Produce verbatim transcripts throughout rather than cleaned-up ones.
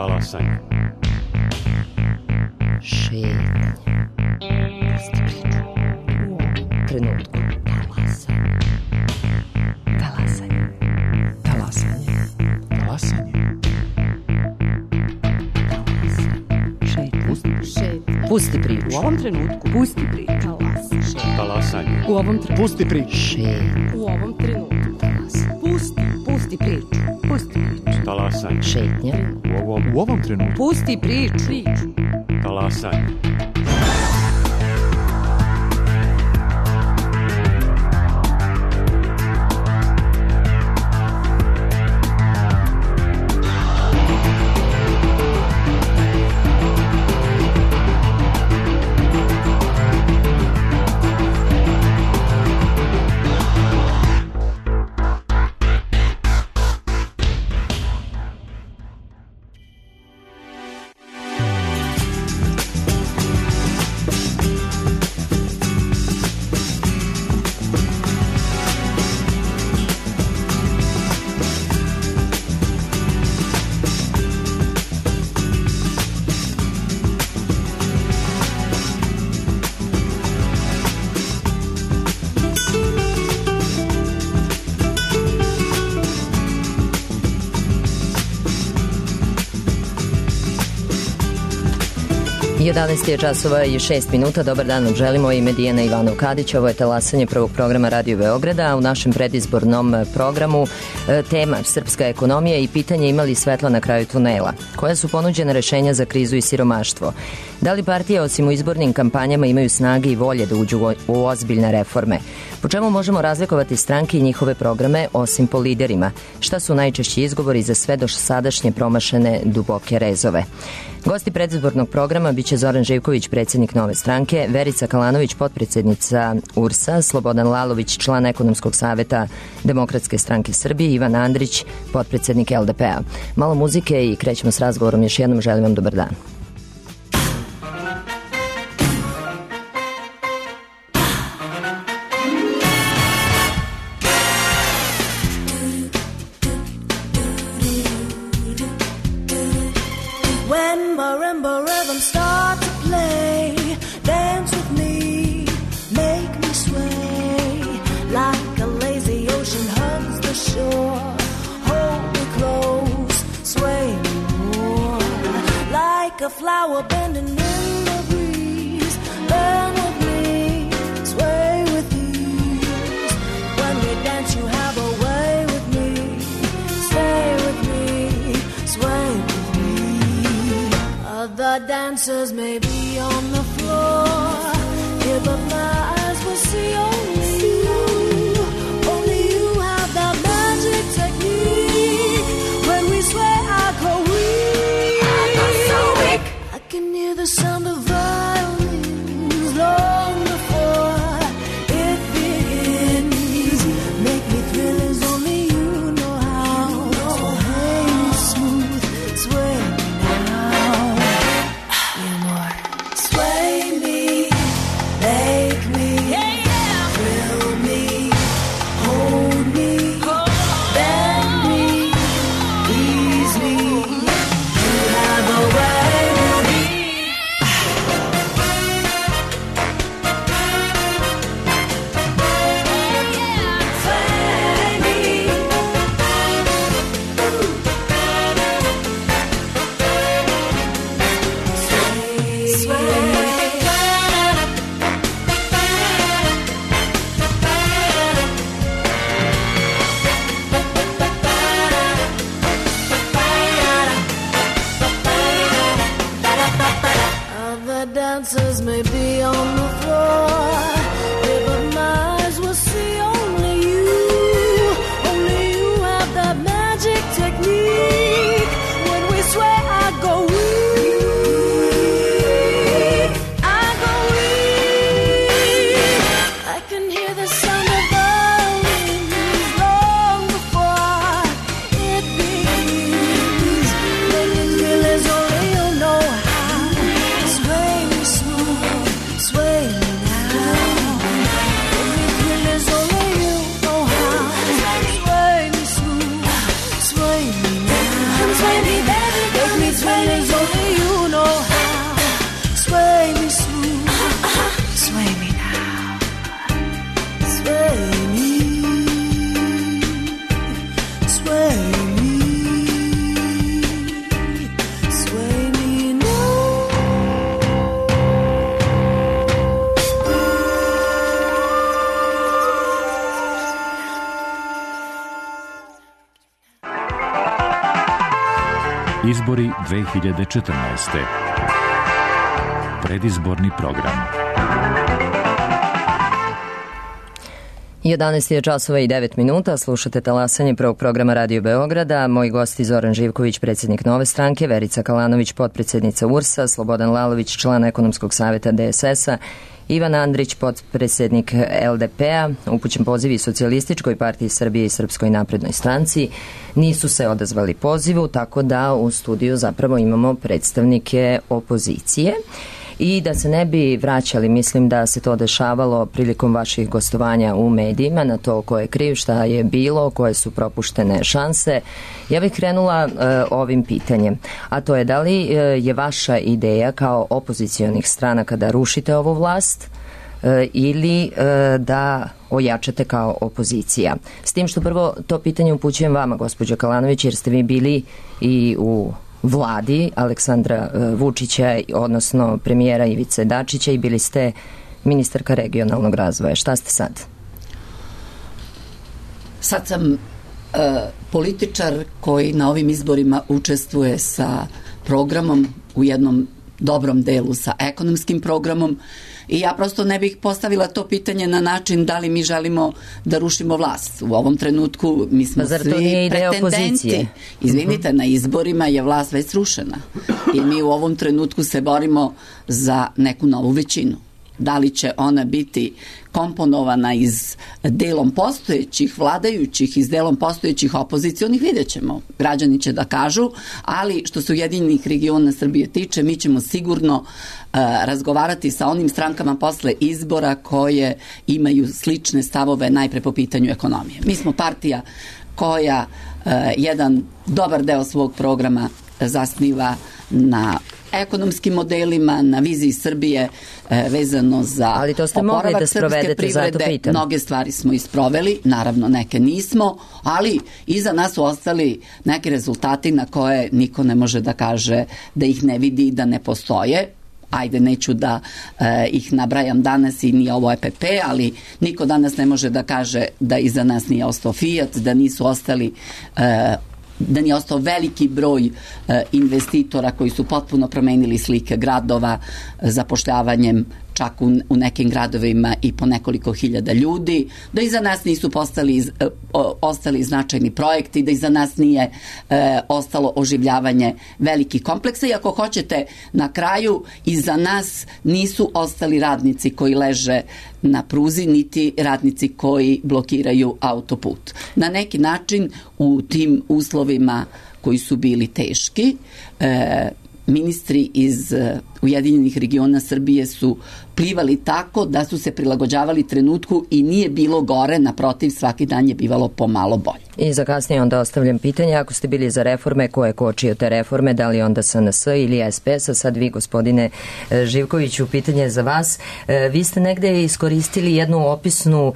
Talasanje. Šetnje. Pusti priču. U ovom trenutku. Talasanje. Talasanje. Talasanje. Talasanje. Šetnje. Pusti. Šetnje. Pusti priču. U ovom trenutku. Pusti priču. Talasanje. Talasanje. U ovom trenutku. Pusti priču. Šetnje. U ovom trenutku. Talasanje. Pusti. Pusti priču. Pusti priču. Talasanje. Šetnje. U ovom, U ovom trenutku. Pusti priču. Priču. talasanje. jedanaest je časova i šest minuta. Dobar dan vam želimo, ime Dijana Ivanov Kadić. Ovo je talasanje prvog programa Radio Beograda, a u našem predizbornom programu e, tema srpska ekonomija i pitanje ima li svetla na kraju tunela. Koja su ponuđene rešenja za krizu i siromaštvo? Da li partije osim u izbornim kampanjama imaju snage i volje da uđu u, u ozbiljne reforme? Po čemu možemo razlikovati stranke i njihove programe osim po liderima? Šta su najčešći izgovori za sve do sadašnje promašene duboke rezove? Gosti predizbornog programa biće Zoran Živković, predsjednik Nove stranke, Verica Kalanović, potpredsjednica U R S-a, Slobodan Lalović, član ekonomskog saveta Demokratske stranke Srbije, Ivan Andrić, potpredsjednik L D P-a. Malo muzike i krećemo s razgovorom. Još jednom želim vam dobar dan. Dancers may be on the floor, here but my eyes will see only you. Only you have that magic technique. When we sway, I go weak. I go so weak. I can hear the sound of violins long before it begins. Make me thrill as only you know how. So hey, smooth, sway me now. Sway me, make me, yeah, yeah. Izbori dve hiljade četrnaeste. Predizborni program. jedanaest je časova i devet minuta, slušate talasanje prvog programa Radio Beograda. Moji gosti Zoran Živković, predsjednik Nove stranke, Verica Kalanović, potpredsjednica U R S-a, Slobodan Lalović, član ekonomskog savjeta D S S-a, Ivan Andrić, potpredsjednik L D P-a, upućen poziv i Socijalističkoj partiji Srbije i Srpskoj naprednoj stranci. Nisu se odazvali pozivu, tako da u studiju zapravo imamo predstavnike opozicije. I da se ne bi vraćali, mislim da se to dešavalo prilikom vaših gostovanja u medijima, na to ko je kriv, šta je bilo, koje su propuštene šanse. Ja bih krenula uh, ovim pitanjem, a to je da li uh, je vaša ideja kao opozicionih stranaka da rušite ovu vlast uh, ili uh, da ojačate kao opozicija. S tim što prvo to pitanje upućujem vama, gospođo Kalanović, jer ste vi bili i u vladi Aleksandra Vučića, odnosno premijera Ivice Dačića, i bili ste ministarka regionalnog razvoja. Šta ste sad? Sad sam uh, političar koji na ovim izborima učestvuje sa programom, u jednom dobrom delu sa ekonomskim programom, i ja prosto ne bih postavila to pitanje na način da li mi želimo da rušimo vlast. U ovom trenutku mi smo pa svi pretendenti. Izvinite, uh-huh. na izborima je vlast već srušena i mi u ovom trenutku se borimo za neku novu većinu. Da li će ona biti komponovana iz delom postojećih vladajućih, iz delom postojećih opozicionih, vidjet ćemo. Građani će da kažu, ali što se Ujedinjenih regiona Srbije tiče, mi ćemo sigurno uh, razgovarati sa onim strankama posle izbora koje imaju slične stavove najpre po pitanju ekonomije. Mi smo partija koja uh, jedan dobar deo svog programa zasniva na ekonomskim modelima, na viziji Srbije e, vezano za ali to ste mogli da sprovedete, zato pitam. Mnoge stvari smo isproveli, naravno neke nismo, ali iza nas su ostali neki rezultati na koje niko ne može da kaže da ih ne vidi i da ne postoje. Ajde, neću da e, ih nabrajam danas i nije ovo E P P, ali niko danas ne može da kaže da iza nas nije ostao Fiat, da nisu ostali e, da nije ostao veliki broj e, investitora koji su potpuno promenili slike gradova zapošljavanjem čak u, u nekim gradovima i po nekoliko hiljada ljudi, da iza nas nisu postali, e, o, ostali značajni projekti, da iza nas nije e, ostalo oživljavanje velikih kompleksa i ako hoćete na kraju iza nas nisu ostali radnici koji leže na pruzi, niti radnici koji blokiraju autoput. Na neki način u tim uslovima koji su bili teški, e, ministri iz Ujedinjenih regiona Srbije su plivali tako da su se prilagođavali trenutku i nije bilo gore, naprotiv, svaki dan je bivalo pomalo bolje. I za kasnije onda ostavljam pitanje, ako ste bili za reforme, ko je kočio te reforme, da li onda S N S ili S P S, a sad vi, gospodine Živkoviću, pitanje za vas. Vi ste negde iskoristili jednu opisnu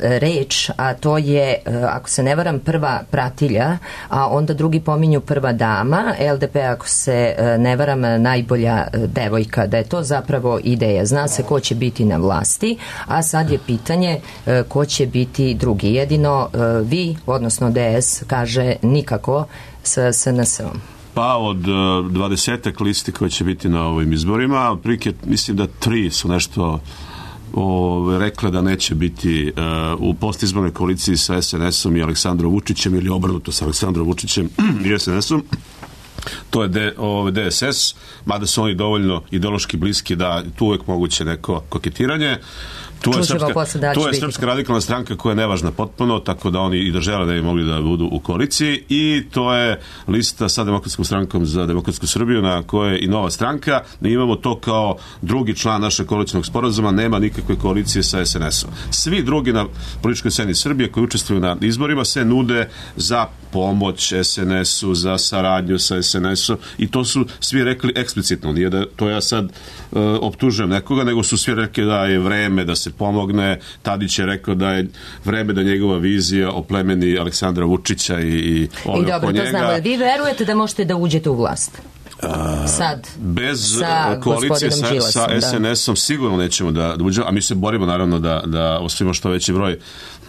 reč, a to je, ako se ne varam, prva pratilja, a onda drugi pominju prva dama, L D P, ako se ne varam, najbolja devojka, da je to zapravo ideja. Zna se ko će biti na vlasti, a sad je pitanje ko će biti drugi. Jedino vi, odnosno D S, kaže nikako sa S N S-om. Pa od dvadesetak listi koje će biti na ovim izborima, otprilike mislim da tri su nešto o, rekle da neće biti uh, u postizbornoj koaliciji sa S N S-om i Aleksandrom Vučićem ili obrnuto sa Aleksandrom Vučićem i S N S-om. To je D, o, D S S, mada su oni dovoljno ideološki bliski da tu uvek moguće neko koketiranje. Tu je, srpska, tu je Srpska radikalna stranka koja je nevažna potpuno, tako da oni i da žele da bi mogli da budu u koaliciji, i to je lista sa Demokratskom strankom za demokratsku Srbiju, na kojoj je i Nova stranka. Mi imamo to kao drugi član našeg koalicionog sporazuma, nema nikakve koalicije sa S N S-om. Svi drugi na političkoj sceni Srbije koji učestvuju na izborima se nude za pomoć S N S-u, za saradnju sa S N S-om, i to su svi rekli eksplicitno. Nije da to ja sad uh, optužujem nekoga, nego su svi rekli da je vreme da se pomogne. Tadić je rekao da je vreme da njegova vizija oplemeni Aleksandra Vučića i, i ove I dobro, njega. to znamo. Vi verujete da možete da uđete u vlast? Sad, bez koalicije sa, Đilasom, sa S N S-om da. Sigurno nećemo da, da uđemo, a mi se borimo naravno da, da osvojimo što veći broj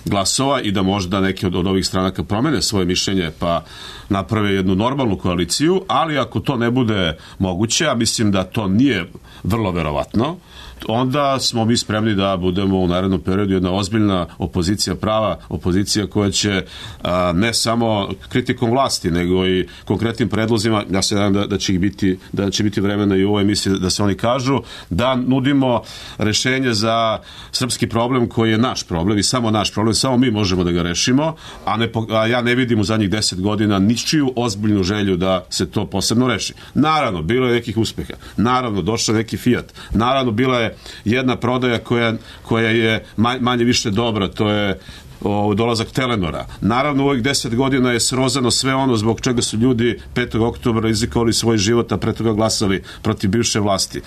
glasova i da možda neki od, od ovih stranaka promene svoje mišljenje, pa naprave jednu normalnu koaliciju, ali ako to ne bude moguće, a mislim da to nije vrlo verovatno, onda smo mi spremni da budemo u narednom periodu jedna ozbiljna opozicija, prava opozicija koja će a, ne samo kritikom vlasti, nego i konkretnim predlozima, ja se nadam da, da će ih biti, da će biti vremena i u ovoj emisiji da se oni kažu, da nudimo rešenje za srpski problem koji je naš problem i samo naš problem, samo mi možemo da ga rešimo, a, ne, a ja ne vidim u zadnjih deset godina ničiju ozbiljnu želju da se to posebno reši. Naravno, bilo je nekih uspeha, naravno, došao neki Fiat, naravno, bila je jedna prodaja koja, koja je manje više dobra, to je o, dolazak Telenora. Naravno, u ovih deset godina je srozano sve ono zbog čega su ljudi petog oktobra rizikovali svoj život, a pre toga glasali protiv bivše vlasti.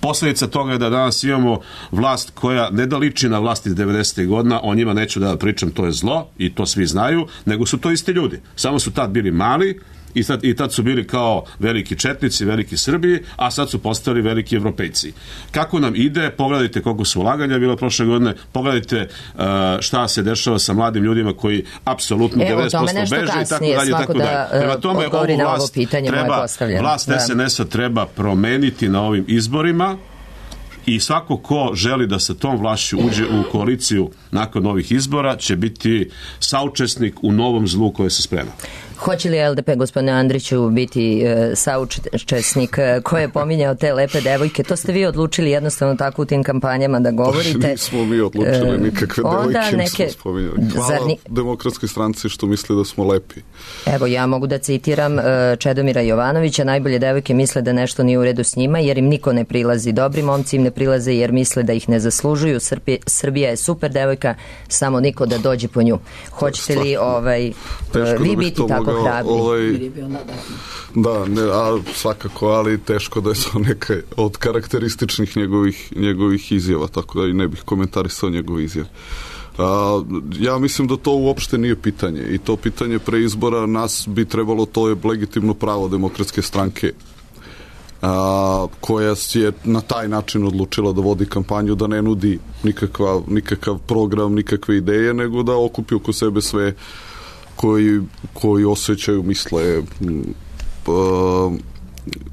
Posljedica toga je da danas imamo vlast koja ne da liči na vlast iz devedesetih godina, o njima neću da pričam, to je zlo i to svi znaju, nego su to isti ljudi. Samo su tad bili mali, I tad, I tad su bili kao veliki četnici, veliki Srbiji, a sad su postali veliki Evropejci. Kako nam ide, pogledajte koliko su ulaganja bilo prošle godine, pogledajte uh, šta se dešava sa mladim ljudima koji apsolutno devedeset posto beže i tako dalje. Tako da, dalje. Prema tome, ovu vlast, treba, vlast da. es en es-a treba promeniti na ovim izborima i svako ko želi da sa tom vlašću uđe u koaliciju nakon ovih izbora će biti saučesnik u novom zlu koje se sprema. Hoće li el de pe, gospodine Andriću, biti e, saučesnik e, ko je pominjao te lepe devojke? To ste vi odlučili jednostavno tako u tim kampanjama da govorite. Pa nismo mi odlučili nikakve devojke, neke... nismo spominjali. Hvala Ni... Demokratskoj stranci što misli da smo lepi. Evo, ja mogu da citiram e, Čedomira Jovanovića, najbolje devojke misle da nešto nije u redu s njima jer im niko ne prilazi. Dobri momci im ne prilaze jer misle da ih ne zaslužuju. Srbi, Srbija je super devojka, samo niko da dođe po nju. Hoćete li ovaj, e, vi biti tako hrabri? Ovaj, da, ne, a, svakako, ali teško da je to neka od karakterističnih njegovih, njegovih izjava, tako da i ne bih komentarisao njegove izjave. A, ja mislim da to uopšte nije pitanje i to pitanje pre izbora nas bi trebalo, to je legitimno pravo Demokratske stranke, a, koja je na taj način odlučila da vodi kampanju, da ne nudi nikakva, nikakav program, nikakve ideje, nego da okupi oko sebe sve koji, koji osjećaju, misle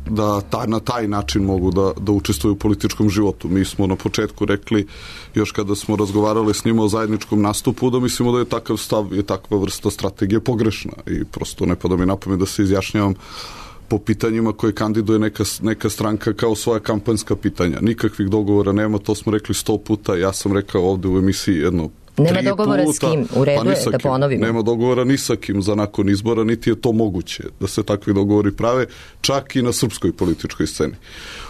da ta, na taj način mogu da, da učestvuju u političkom životu. Mi smo na početku rekli, još kada smo razgovarali s njima o zajedničkom nastupu, da mislimo da je takav stav, je takva vrsta strategije pogrešna i prosto ne pada mi na pamet da se izjašnjavam po pitanjima koje kandiduje neka, neka stranka kao svoja kampanjska pitanja. Nikakvih dogovora nema, to smo rekli sto puta, ja sam rekao ovde u emisiji jedno Nema dogovora puta, s kim, u redu pa je da ponovimo. Nema dogovora ni sa kim za nakon izbora, niti je to moguće da se takvi dogovori prave, čak i na srpskoj političkoj sceni.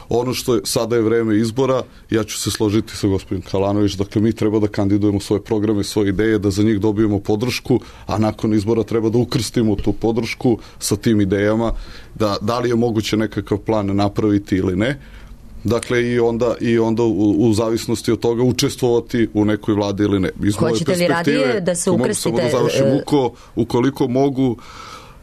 Ono što je, sada je vreme izbora, ja ću se složiti sa gospodin Kalanović, dakle mi treba da kandidujemo svoje programe, svoje ideje, da za njih dobijemo podršku, a nakon izbora treba da ukrstimo tu podršku sa tim idejama, da, da li je moguće nekakav plan napraviti ili ne. Dakle, i onda, i onda u, u zavisnosti od toga učestvovati u nekoj vladi ili ne. Iz Hoćete li radije da se ukrstite? Mogu samo da završim, uko, ukoliko mogu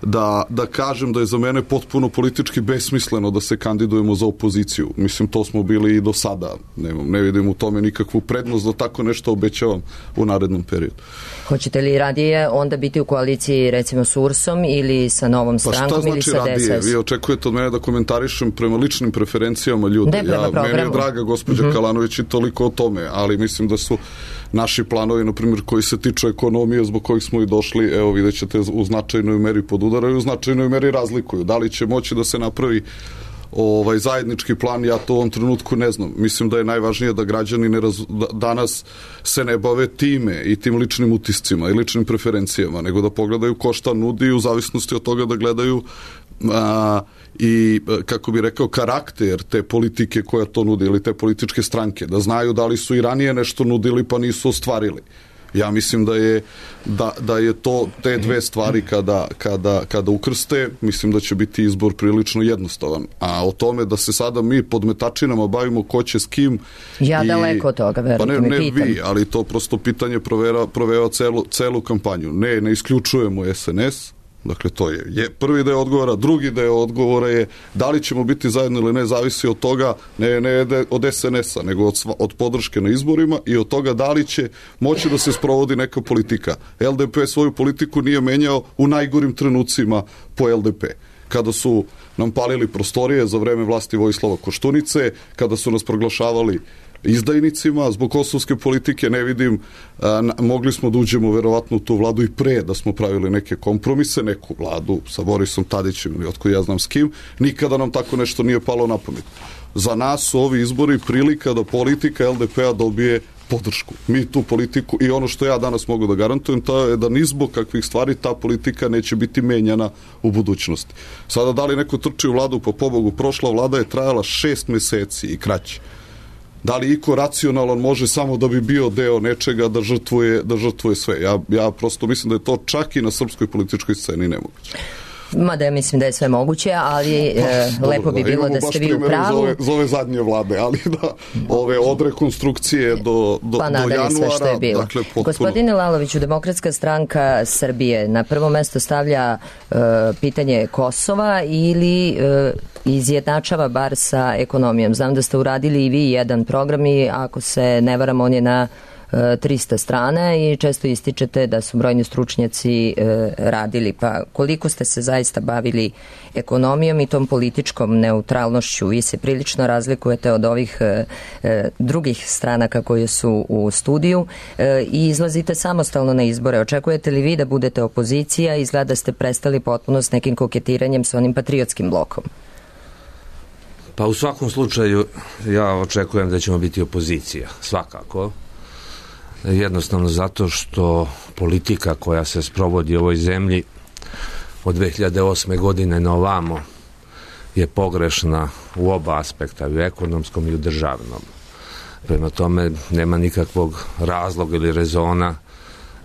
da, da kažem da je za mene potpuno politički besmisleno da se kandidujemo za opoziciju. Mislim, to smo bili i do sada. Ne, ne vidim u tome nikakvu prednost da tako nešto obećavam u narednom periodu. Hoćete li radije onda biti u koaliciji recimo s U R S-om ili sa Novom strankom pa ili sa radije? D S S? Vi očekujete od mene da komentarišem prema ličnim preferencijama ljude. Ne, ja, meni je draga gospođa uh-huh. Kalanović i toliko o tome, ali mislim da su naši planovi, na primjer, koji se tiču ekonomije, zbog kojih smo i došli, evo vidjet ćete, u značajnoj meri podudaraju, u značajnoj meri razlikuju. Da li će moći da se napravi ovaj zajednički plan, ja to u ovom trenutku ne znam. Mislim da je najvažnije da građani ne raz, da, danas se ne bave time i tim ličnim utiscima i ličnim preferencijama, nego da pogledaju ko šta nudi u zavisnosti od toga da gledaju a, i, kako bi rekao, karakter te politike koja to nudi ili te političke stranke, da znaju da li su i ranije nešto nudili pa nisu ostvarili. Ja mislim da je, da, da je to te dve stvari kada, kada, kada ukrste, mislim da će biti izbor prilično jednostavan. A o tome da se sada mi pod metačinama bavimo ko će s kim... Ja i, daleko od toga, verujte pa ne, mi, ne pitam. vi, ali to prosto pitanje provera, proveva celu, celu kampanju. Ne, ne isključujemo es en es, Dakle, to je, je prvi deo odgovora. Drugi deo odgovora je da li ćemo biti zajedno ili ne, zavisi od toga, ne, ne od es en es a, nego od, od podrške na izborima i od toga da li će moći da se sprovodi neka politika. el de pe svoju politiku nije menjao u najgorim trenucima po el de pe. Kada su nam palili prostorije za vreme vlasti Vojislava Koštunice, kada su nas proglašavali izdajnicima zbog kosovske politike, ne vidim, a, mogli smo da uđemo verovatno u tu vladu i pre da smo pravili neke kompromise, neku vladu sa Borisom Tadićem ili otko ja znam s kim, nikada nam tako nešto nije palo na pamet. Za nas su ovi izbori prilika da politika el de pe a dobije podršku. Mi tu politiku, i ono što ja danas mogu da garantujem, to je da ni zbog kakvih stvari ta politika neće biti menjana u budućnosti. Sada, da li neko trči u vladu, pa pobogu, prošla vlada je trajala šest meseci i kraće. Da li iko racionalan može samo da bi bio deo nečega da žrtvuje, da žrtvuje sve? Ja, ja prosto mislim da je to čak i na srpskoj političkoj sceni nemoguće. Mada ja mislim da je sve moguće, ali pa, e, dobro, lepo bi da, bilo da ste vi u pravu. Za ove, za ove zadnje vlade, ali da ove od rekonstrukcije do, do, pa do januara. Sve što je bilo. Dakle, potpuno... Gospodine Laloviću, Demokratska stranka Srbije na prvo mesto stavlja e, pitanje Kosova ili e, izjednačava bar sa ekonomijom. Znam da ste uradili i vi jedan program i ako se ne varam, on je na trista strana i često ističete da su brojni stručnjaci e, radili. Pa koliko ste se zaista bavili ekonomijom i tom političkom neutralnošću? Vi se prilično razlikujete od ovih e, e, drugih stranaka koje su u studiju e, i izlazite samostalno na izbore. Očekujete li vi da budete opozicija? Izgleda da ste prestali potpuno s nekim koketiranjem sa onim patriotskim blokom. Pa u svakom slučaju ja očekujem da ćemo biti opozicija, svakako. Jednostavno zato što politika koja se sprovodi u ovoj zemlji od dve hiljade osme godine na ovamo je pogrešna u oba aspekta, i u ekonomskom i u državnom. Prema tome nema nikakvog razloga ili rezona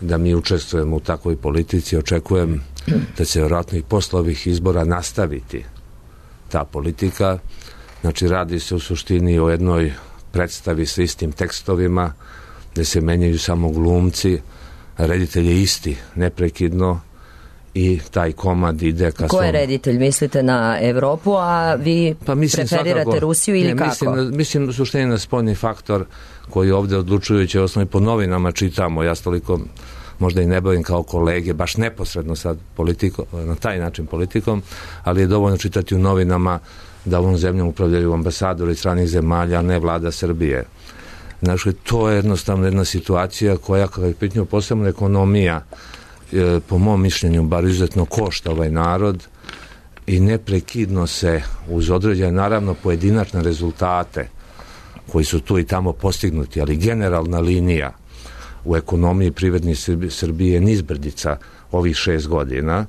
da mi učestvujemo u takvoj politici. Očekujem da će vjerojatno i posle ovih izbora nastaviti ta politika. Znači, radi se u suštini o jednoj predstavi sa istim tekstovima, gde se menjaju samo glumci, reditelj je isti, neprekidno, i taj komad ide ka... Ko je reditelj? Mislite na Evropu, a vi pa preferirate svakako, Rusiju ili ne, kako? Mislim, mislim u suštini na spoljni faktor koji ovde odlučujući osnovi po novinama čitamo. Ja toliko možda i ne bavim kao kolege, baš neposredno sad politikom, na taj način politikom, ali je dovoljno čitati u novinama da ovom zemljom upravljaju ambasadori stranih zemalja, a ne vlada Srbije. Znači, to je jednostavno jedna situacija koja, kada je pitanje posebno ekonomija, e, po mom mišljenju, bar izuzetno košta ovaj narod i neprekidno se uz određene, naravno, pojedinačne rezultate koji su tu i tamo postignuti, ali generalna linija u ekonomiji privredni Srbije je nizbrdica ovih šest godina.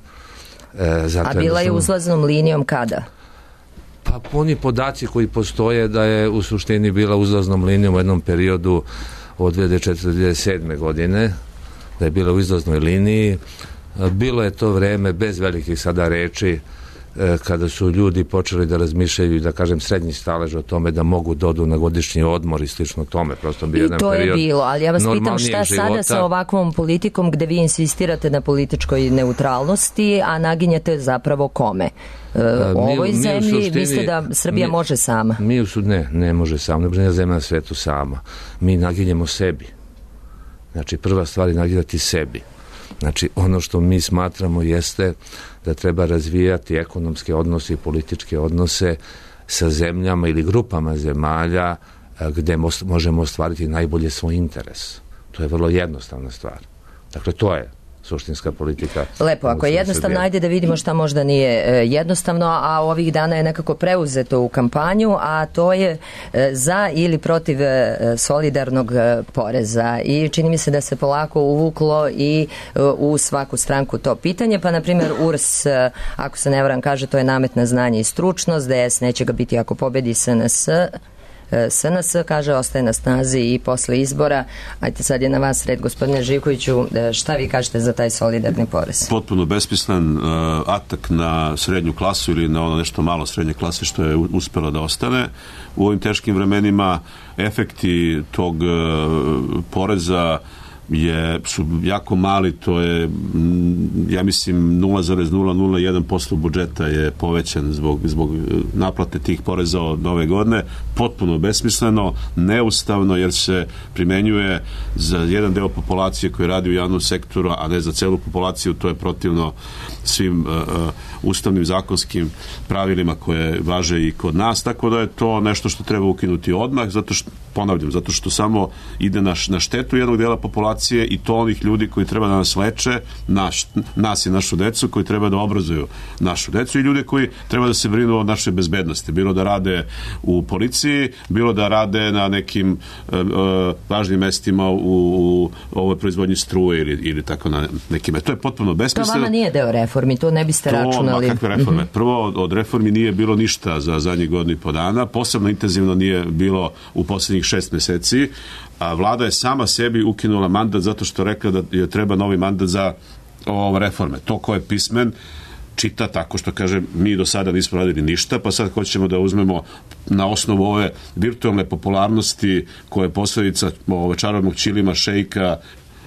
E, zato A bila je uzlaznom linijom kada? Pa oni podaci koji postoje da je u suštini bila uzlaznom linijom u jednom periodu od dve hiljade četvrte do dve hiljade sedme godine, da je bila u izlaznoj liniji. Bilo je to vreme bez velikih sada reči kada su ljudi počeli da razmišljaju i da kažem srednji stalež o tome da mogu dodu na godišnji odmor i slično tome. Prosto bio jedan period. I to je bilo, ali ja vas pitam šta života. Sada sa ovakvom politikom gde vi insistirate na političkoj neutralnosti, a naginjete zapravo kome? U ovoj mi, zemlji mi suštini, mislite da Srbija mi, može sama? Mi u suštini, ne, ne može sama, ne može zemlja na svetu sama. Mi naginjemo sebi. Znači, prva stvar je naginjati sebi. Znači, ono što mi smatramo jeste da treba razvijati ekonomske odnose i političke odnose sa zemljama ili grupama zemalja gde možemo ostvariti najbolje svoj interes. To je vrlo jednostavna stvar. Dakle, to je suštinska politika. Lepo, ako je jednostavno, ajde da vidimo šta možda nije jednostavno, a ovih dana je nekako preuzeto u kampanju, a to je za ili protiv solidarnog poreza. I čini mi se da se polako uvuklo i u svaku stranku to pitanje, pa na primjer U R S, ako se ne varam, kaže to je namet na znanje i stručnost, D S neće ga biti ako pobedi S N S, S N S, kaže, ostaje na snazi i posle izbora. Ajde, sad je na vas red, gospodine Živkoviću, šta vi kažete za taj solidarni porez? Potpuno besmislen uh, atak na srednju klasu ili na ono nešto malo srednje klase što je uspelo da ostane. U ovim teškim vremenima efekti tog uh, poreza je, su jako mali, to je, ja mislim, nula zarez nula nula jedan posto budžeta je povećan zbog, zbog naplate tih poreza od nove godine, potpuno besmisleno, neustavno, jer se primenjuje za jedan deo populacije koji radi u javnom sektoru, a ne za celu populaciju. To je protivno svim uh, uh, ustavnim zakonskim pravilima koje važe i kod nas, tako da je to nešto što treba ukinuti odmah, zato što, ponavljam, zato što samo ide na, na štetu jednog dela populacije i to onih ljudi koji treba da nas leče, naš, nas i našu decu, koji treba da obrazuju našu decu i ljudi koji treba da se brinu o našoj bezbednosti, bilo da rade u policiji, bilo da rade na nekim uh, uh, važnim mestima u, u ovoj proizvodnji struje ili, ili tako na nekime. To je potpuno besmisleno. To vama nije deo reformi, to ne biste to, računali. Ma kakve reforme? Mm-hmm. Prvo, od reformi nije bilo ništa za zadnjih godinu i po dana, posebno intenzivno nije bilo u posljednjih šest meseci, a vlada je sama sebi ukinula mandat zato što rekla da je treba novi mandat za ove reforme. To ko je pismen čita tako što kaže mi do sada nismo radili ništa, pa sad hoćemo da uzmemo na osnovu ove virtualne popularnosti koje je posledica ove čarobnog ćilima, šejka,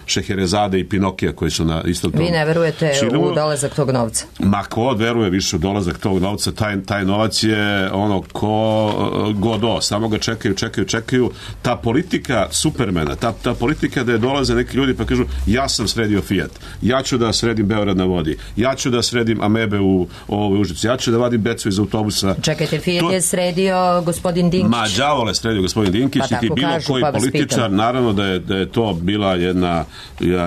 Šeherezade i Pinokija koji su na istom tom. Vi ne verujete Čilu. u dolazak tog novca? Ma ko veruje više u dolazak tog novca, taj, taj novac je ono ko godo, samo ga čekaju, čekaju, čekaju. Ta politika Supermana, ta, ta politika da je dolaze neki ljudi pa kažu ja sam sredio Fiat, ja ću da sredim Beograd na vodi, ja ću da sredim amebe u ovoj Užici, ja ću da vadim decu iz autobusa. Čekajte, Fiat to... je sredio gospodin Dinkić. Ma đavole sredio gospodin Dinkić pa i ti bilo kažu, koji pa političar, naravno da je, da je to bila jedna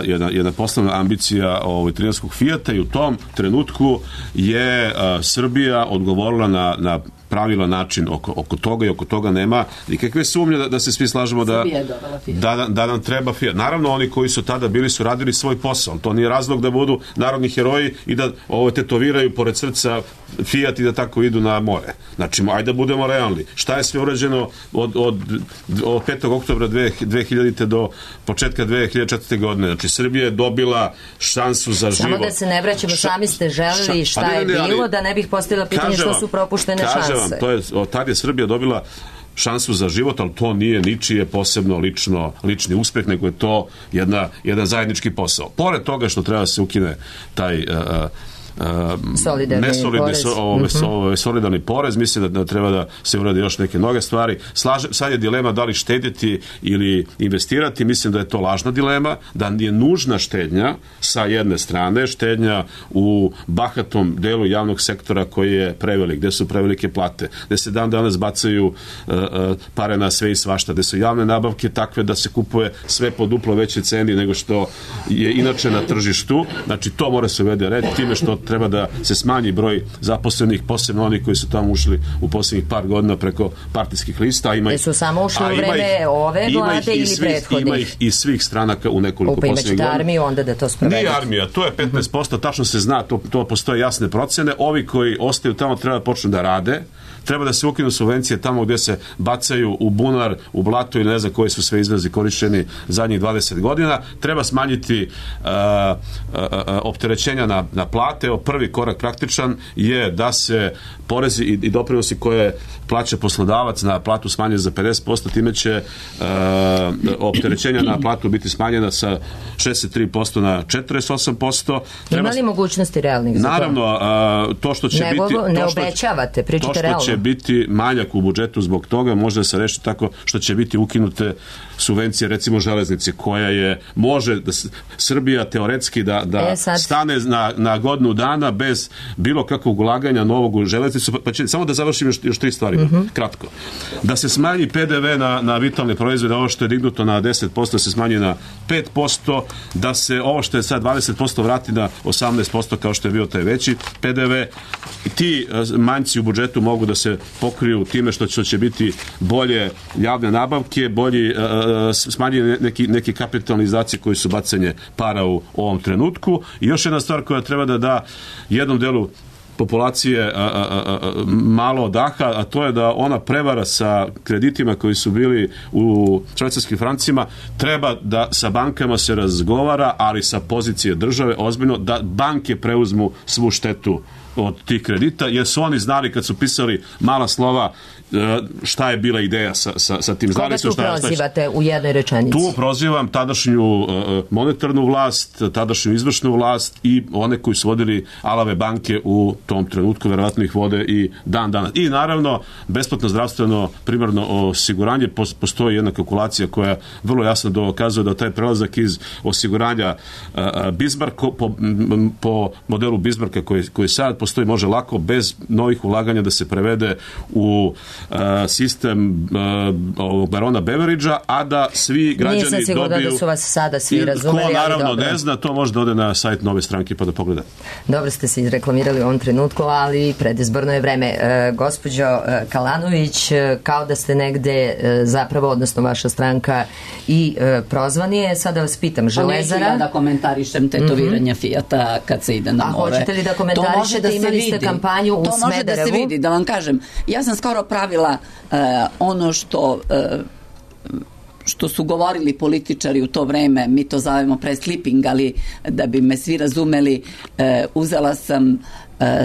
jedna, jedna poslovna ambicija ovaj, trijanskog Fijata i u tom trenutku je a, Srbija odgovorila na, na pravilan način oko, oko toga i oko toga nema nikakve sumnje da, da se svi slažemo da, da, da nam treba Fiat. Naravno, oni koji su tada bili su radili svoj posao. To nije razlog da budu narodni heroji i da ovo tetoviraju pored srca Fiat i da tako idu na more. Znači, ajde da budemo realni. Šta je sve urađeno od, od, od petog oktobra dve hiljadite do početka dve hiljade četvrte. godine? Znači, Srbija je dobila šansu za život. Samo da se ne vraćamo, sami ste želeli šta pa ne, ne, je bilo, ali, da ne bih postavila pitanje što su propuštene šanse. Vam, to je, od tad je Srbija dobila šansu za život, ali to nije ničije posebno lično, lični uspeh, nego je to jedna, jedan zajednički posao. Pored toga što treba se ukine taj uh, Uh, solidarni porez. So, ove, mm-hmm. ove, solidarni porez, mislim da, da treba da se uradi još neke mnoge stvari. Slaže, sad je dilema da li štediti ili investirati, mislim da je to lažna dilema, da je nužna štednja sa jedne strane, štednja u bahatom delu javnog sektora koji je prevelik, gde su prevelike plate, gde se dan danas bacaju uh, uh, pare na sve i svašta, gde su javne nabavke takve da se kupuje sve po duplo većoj ceni nego što je inače na tržištu. Znači to mora se uvede red, time što treba da se smanji broj zaposlenih, posebno oni koji su tamo ušli u posljednjih par godina preko partijskih lista. Ima ih, su samo ušli u vreme ih, ove vlade ili svih, prethodnih? Ima ih iz svih stranaka u nekoliko Upa, posljednjih godina. Armiju onda da to sprovedete? Nije armija, to je petnaest posto, tačno se zna, to, to postoje jasne procene. Ovi koji ostaju tamo treba da počnu da rade, treba da se ukinu subvencije tamo gdje se bacaju u bunar, u blato ili ne znam koji su sve izrazi korišćeni zadnjih dvadeset godina. Treba smanjiti uh, uh, uh, opterećenja na, na plate. Prvi korak praktičan je da se porezi i, i doprinosi koje plaća poslodavac na platu smanje za pedeset posto, time će uh, opterećenja na platu biti smanjena sa šezdeset tri posto na četrdeset osam posto. Ima li mogućnosti realnih za to? Naravno, uh, to što će Nego, biti... ne to što, obećavate, pričate realno. To što će biti manjak u budžetu zbog toga može se reći tako što će biti ukinute subvencije, recimo železnice, koja je, može da Srbija teoretski da, da e, stane na, na godinu dana bez bilo kakvog ulaganja novog u železnicu, pa će, samo da završim još, još tri stvari, mm-hmm. kratko. Da se smanji P D V na, na vitalne proizvode, ovo što je dignuto na deset posto da se smanji na pet posto, da se ovo što je sad dvadeset posto vrati na osamnaest posto kao što je bio taj veći P D V. Ti manjci u budžetu mogu da se pokriju time što će, će biti bolje javne nabavke, bolji uh, smanjeni neki, neki kapitalni izdaci koji su bacanje para u ovom trenutku. I još jedna stvar koja treba da da jednom delu populacije a, a, a, malo odaha, a to je da ona prevara sa kreditima koji su bili u švajcarskim francima treba da sa bankama se razgovara, ali sa pozicije države ozbiljno, da banke preuzmu svu štetu od tih kredita, jer su oni znali kad su pisali mala slova šta je bila ideja sa, sa, sa tim. Koga tu šta, prozivate šta, u jednoj rečenici? Tu prozivam tadašnju monetarnu vlast, tadašnju izvršnu vlast i one koji su vodili alave banke u tom trenutku, verovatno ih vode i dan danas. I naravno, besplatno zdravstveno primarno osiguranje, postoji jedna kalkulacija koja vrlo jasno dokazuje da taj prelazak iz osiguranja Bismarck po, po modelu Bismarcka koji, koji sad postoji, može lako bez novih ulaganja da se prevede u Uh, sistem uh, ovog barona Beveridgea, a da svi građani dobiju... Nisam sigurna da su vas sada svi razumeli, ko naravno ali dobro. Ne zna, to može da ode na sajt Nove stranke pa da pogleda. Dobro ste se izreklamirali u ovom trenutku, ali predizborno je vreme. E, gospođo e, Kalanović, e, kao da ste negde e, zapravo, odnosno vaša stranka i e, prozvani je, sada vas pitam, Železara... Pa neću ja da komentarišem tetoviranje mm-hmm. Fijata kad se ide na A more. A hoćete li da komentarišete, da imali ste kampanju u Smederevu? To može da se vidi, da vam kažem. Ja sam skoro pravila uh, ono što uh, što su govorili političari u to vreme, mi to zovemo preslipping, ali da bi me svi razumeli, uh, uzela sam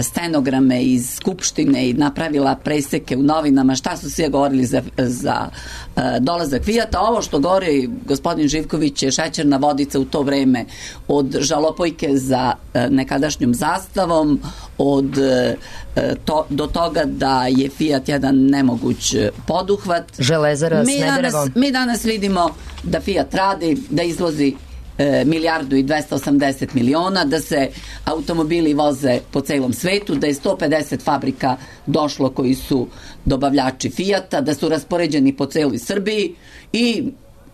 stenograme iz Skupštine i napravila preseke u novinama šta su svi govorili za, za uh, dolazak Fijata. Ovo što govori gospodin Živković je šećerna vodica u to vreme, od žalopojke za uh, nekadašnjom zastavom, od uh, to, do toga da je Fijat jedan nemoguć poduhvat. Železara mi Smederevo. danas, mi danas vidimo da Fijat radi, da izvozi E, milijardu i dvesta osamdeset miliona, da se automobili voze po celom svetu, da je sto pedeset fabrika došlo koji su dobavljači Fijata, da su raspoređeni po celoj Srbiji i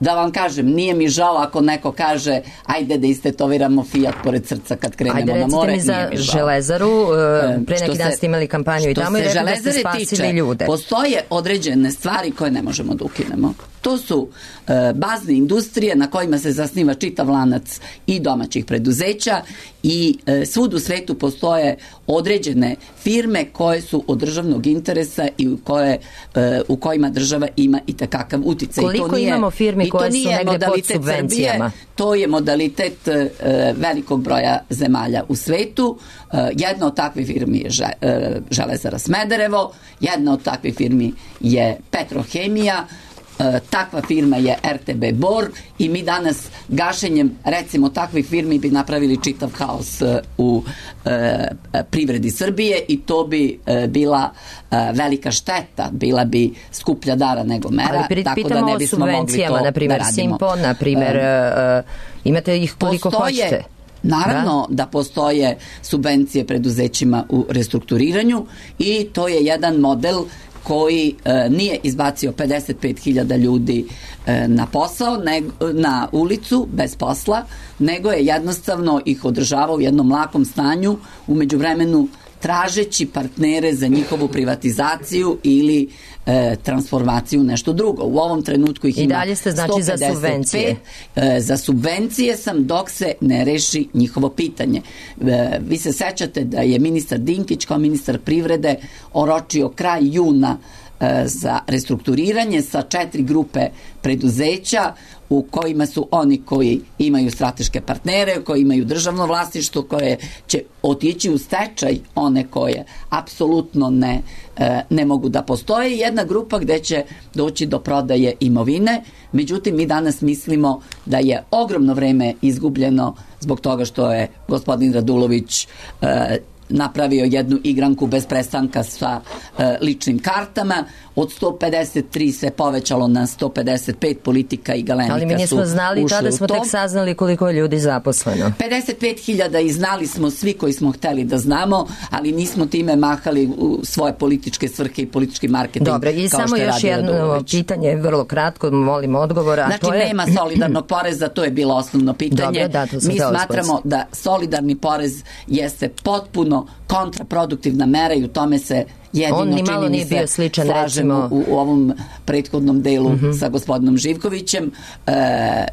da vam kažem, nije mi žao ako neko kaže ajde da istetoviramo Fijat pored srca kad krenemo ajde, na more. Ajde, recite mi za Železaru, pre neki dan ste imali kampanju i tamo i rekli da ste spasili tiče, ljude. Postoje određene stvari koje ne možemo da ukinemo. To su e, bazne industrije na kojima se zasniva čitav lanac i domaćih preduzeća i e, svud u svetu postoje određene firme koje su od državnog interesa i u, koje, e, u kojima država ima i takakav uticaj. Koliko to nije, imamo firmi koje su negde pod subvencijama? Srbije, to je modalitet e, velikog broja zemalja u svetu. E, jedna od takvih firmi je že, e, Železara Smederevo, jedna od takvih firmi je Petrohemija, takva firma je er te be Bor i mi danas gašenjem recimo takvih firmi bi napravili čitav haos u e, privredi Srbije i to bi e, bila e, velika šteta, bila bi skuplja dara nego mera, ali tako da ne bismo mogli to na primer, da radimo. Simpo, na primer, e, imate ih koliko postoje, hoćete. Naravno da? da postoje subvencije preduzećima u restrukturiranju i to je jedan model koji e, nije izbacio pedeset pet hiljada ljudi e, na posao, ne, na ulicu bez posla, nego je jednostavno ih održavao u jednom lakom stanju, u međuvremenu tražeći partnere za njihovu privatizaciju ili e, transformaciju u nešto drugo. U ovom trenutku ih i ima dalje ste znači za subvencije. E, za subvencije sam dok se ne reši njihovo pitanje. E, vi se sećate da je ministar Dinkić kao ministar privrede oročio kraj juna e, za restrukturiranje sa četiri grupe preduzeća u kojima su oni koji imaju strateške partnere, koji imaju državno vlasništvo, koje će otići u stečaj, one koje apsolutno ne, e, ne mogu da postoje, jedna grupa gde će doći do prodaje imovine. Međutim, mi danas mislimo da je ogromno vreme izgubljeno zbog toga što je gospodin Radulović e, napravio jednu igranku bez prestanka sa e, ličnim kartama. Od sto pedeset tri se povećalo na sto pedeset pet, politika i Galenika su ušli u to. Ali mi nismo znali, tada smo tek saznali koliko je ljudi zaposleno. pedeset pet hiljada i znali smo svi koji smo hteli da znamo, ali nismo time mahali u svoje političke svrhe i politički marketing. Dobro, i samo još jedno pitanje, vrlo kratko, molim odgovora. Znači, to je... nema solidarnog poreza, to je bilo osnovno pitanje. Dobre, da, mi smatramo da solidarni porez jeste potpuno kontraproduktivna mera i u tome se jedino čini mi se sličan, slažemo recimo... u, u ovom prethodnom delu mm-hmm. sa gospodinom Živkovićem. E,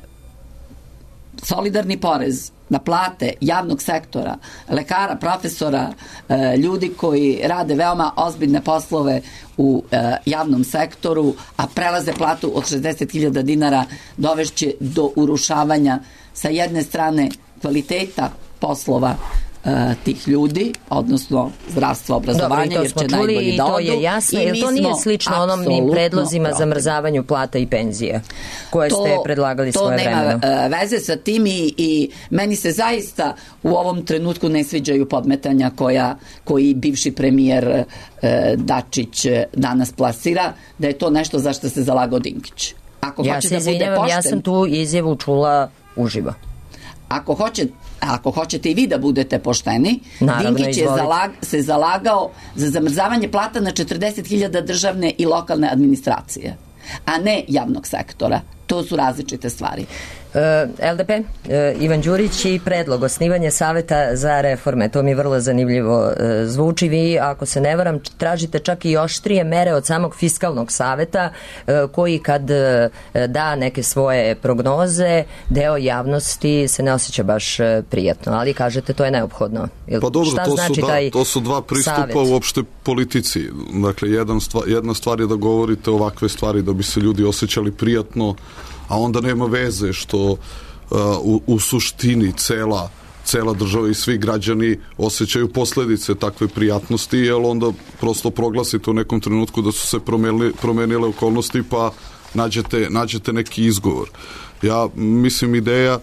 solidarni porez na plate javnog sektora, lekara, profesora, e, ljudi koji rade veoma ozbiljne poslove u e, javnom sektoru, a prelaze platu od šezdeset hiljada dinara, dovešće do urušavanja sa jedne strane kvaliteta poslova e, tih ljudi, odnosno zdravstva, obrazovanja, Dobro, jer će najbolji i da to odu. je jasno, I jer mi to nije smo slično onom ni apsolutno predlozima protiv. zamrzavanju plata i penzije koje ste predlagali svoje vremeno. To nema uh, veze sa tim i, i meni se zaista u ovom trenutku ne sviđaju podmetanja koja, koji bivši premijer uh, Dačić uh, danas plasira, da je to nešto za što se zalagao Dinkić. Ako Ja hoće se da bude izvinjavam, pošten, ja sam tu izjavu čula uživo. Ako, hoće, ako hoćete i vi da budete pošteni, Naravno, Dinkić je izvolite. zalag, se zalagao za zamrzavanje plata na četrdeset hiljada državne i lokalne administracije, a ne javnog sektora. To su različite stvari. L D P, Ivan Đurić i predlog osnivanja saveta za reforme, to mi vrlo zanimljivo zvuči. Vi, ako se ne varam, tražite čak i oštrije mere od samog fiskalnog saveta, koji kad da neke svoje prognoze, deo javnosti se ne osjeća baš prijatno, ali kažete to je neophodno. Pa dobro, Šta to, znači su, da, taj to su dva pristupa savet? uopšte politici. Dakle, jedan stvar, jedna stvar je da govorite ovakve stvari da bi se ljudi osjećali prijatno, a onda nema veze što uh, u, u suštini cela, cela država i svi građani osjećaju posledice takve prijatnosti, jer onda prosto proglasite u nekom trenutku da su se promenili, promenile okolnosti pa nađete, nađete neki izgovor. Ja mislim ideja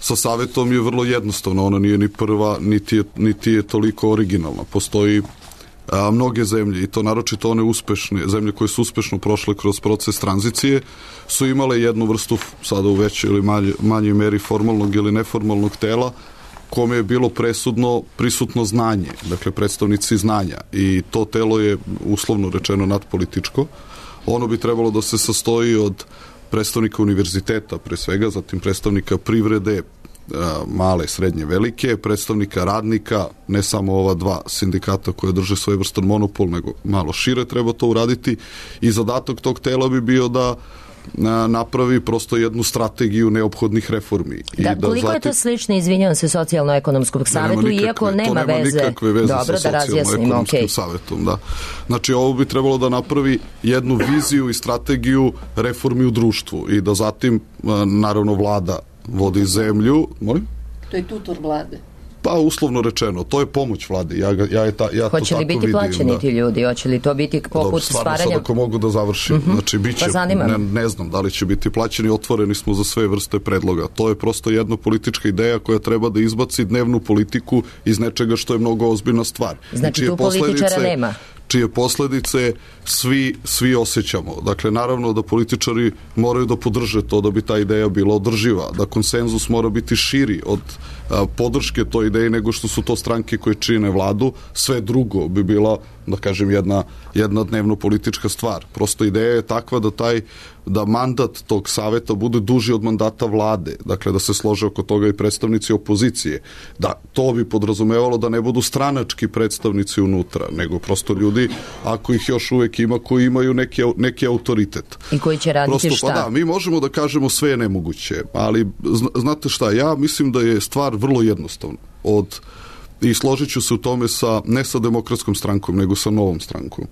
sa savetom je vrlo jednostavna, ona nije ni prva, niti je, niti je toliko originalna. Postoji a, mnoge zemlje, i to naročito one uspešne, zemlje koje su uspešno prošle kroz proces tranzicije, su imale jednu vrstu, sada u većoj ili manjoj, manjoj meri formalnog ili neformalnog tela, kome je bilo presudno prisutno znanje, dakle predstavnici znanja, i to telo je uslovno rečeno nadpolitičko. Ono bi trebalo da se sastoji od predstavnika univerziteta pre svega, zatim predstavnika privrede, male, srednje, velike, predstavnika radnika, ne samo ova dva sindikata koje drže svojevrstan monopol, nego malo šire treba to uraditi, i zadatak tog tela bi bio da napravi prosto jednu strategiju neophodnih reformi. Da, I da koliko zatim... je to slično, izvinjavam se, socijalno-ekonomskog savetu, nema nikakve, iako nema to nema veze. nikakve veze Dobro, sa da socijalno-ekonomskim okay. savetom. Da. Znači, ovo bi trebalo da napravi jednu viziju i strategiju reformi u društvu i da zatim, naravno, vlada vodi zemlju. Molim? To je tutor vlade. Pa, uslovno rečeno, to je pomoć vladi. Ja, ga, ja, je ta, ja Hoće to li tako biti vidim, plaćeni da. ti ljudi? Hoće li to biti poput Dobro, stvarno stvaranja? sad ako mogu da završim. Mm-hmm. Znači, biće, Pa ne, ne znam da li će biti plaćeni, otvoreni smo za sve vrste predloga. To je prosto jedna politička ideja koja treba da izbaci dnevnu politiku iz nečega što je mnogo ozbiljna stvar. Znači, tu političara nema. Čije posledice svi, svi osjećamo. Dakle, naravno da političari moraju da podrže to da bi ta ideja bila održiva, da konsenzus mora biti širi od a, podrške toj ideji nego što su to stranke koje čine vladu. Sve drugo bi bila, da kažem, jedna, jedna dnevno politička stvar. Prosto ideja je takva da taj da mandat tog saveta bude duži od mandata vlade, dakle da se slože oko toga i predstavnici opozicije, da to bi podrazumevalo da ne budu stranački predstavnici unutra, nego prosto ljudi, ako ih još uvek ima, koji imaju neki, neki autoritet. I koji će raditi prosto, šta? Pa da, mi možemo da kažemo sve je nemoguće, ali znate šta, ja mislim da je stvar vrlo jednostavna. Od, i složit ću se u tome sa, ne sa Demokratskom strankom, nego sa Novom strankom.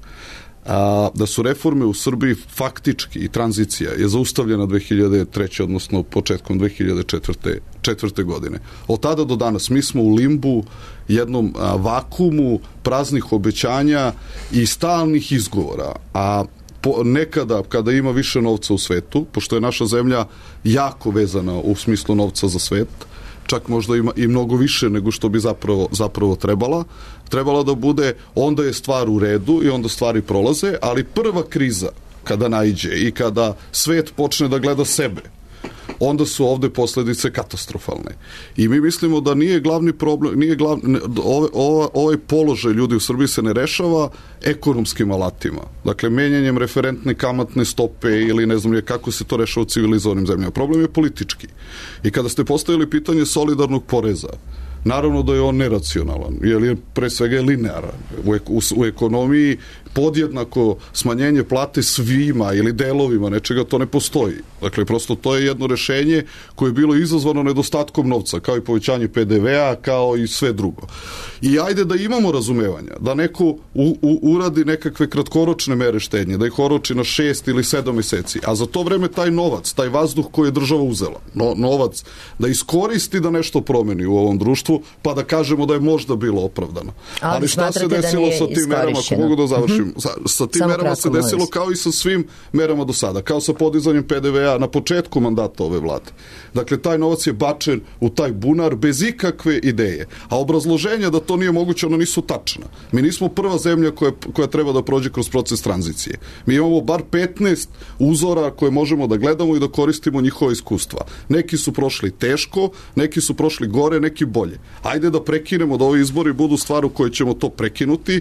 A, da su reforme u Srbiji faktički i tranzicija je zaustavljena dve hiljade treće. odnosno početkom dve hiljade četvrte. godine. Od tada do danas mi smo u limbu, jednom a, vakumu praznih obećanja i stalnih izgovora, a po, nekada kada ima više novca u svetu, pošto je naša zemlja jako vezana u smislu novca za svet, čak možda ima i mnogo više nego što bi zapravo, zapravo trebala, trebala da bude, onda je stvar u redu i onda stvari prolaze, ali prva kriza kada naiđe i kada svet počne da gleda sebe, onda su ovde posledice katastrofalne. I mi mislimo da nije glavni problem, nije glavni, ovaj, ovaj položaj ljudi u Srbiji se ne rešava ekonomskim alatima. Dakle, menjanjem referentne kamatne stope ili ne znam je kako se to rešava u civilizovanim zemljama. Problem je politički. I kada ste postavili pitanje solidarnog poreza, naravno da je on neracionalan, jer je pre svega je linearan. U, u, u ekonomiji podjednako smanjenje plate svima ili delovima nečega, to ne postoji. Dakle, prosto to je jedno rešenje koje je bilo izazvano nedostatkom novca, kao i povećanje pe de ve a, kao i sve drugo. I ajde da imamo razumevanja, da neko u, u, uradi nekakve kratkoročne mere štednje, da ih oroči na šest ili sedam meseci, a za to vreme taj novac, taj vazduh koji je država uzela, no, novac, da iskoristi da nešto promeni u ovom društvu, pa da kažemo da je možda bilo opravdano. Ali, Ali šta se desilo da sa tim merama, ako mogu da završim, sa, sa tim Samo merama kratko, se desilo molim. kao i sa svim merama do sada, kao sa podizanjem pe de ve a na početku mandata ove vlade. Dakle, taj novac je bačen u taj bunar bez ikakve ideje. A obrazloženja da to nije moguće, ona nisu tačna. Mi nismo prva zemlja koja, koja treba da prođe kroz proces tranzicije. Mi imamo bar petnaest uzora koje možemo da gledamo i da koristimo njihova iskustva. Neki su prošli teško, neki su prošli gore, neki bolje. Ajde da prekinemo, da ovi izbori budu stvar u kojoj ćemo to prekinuti,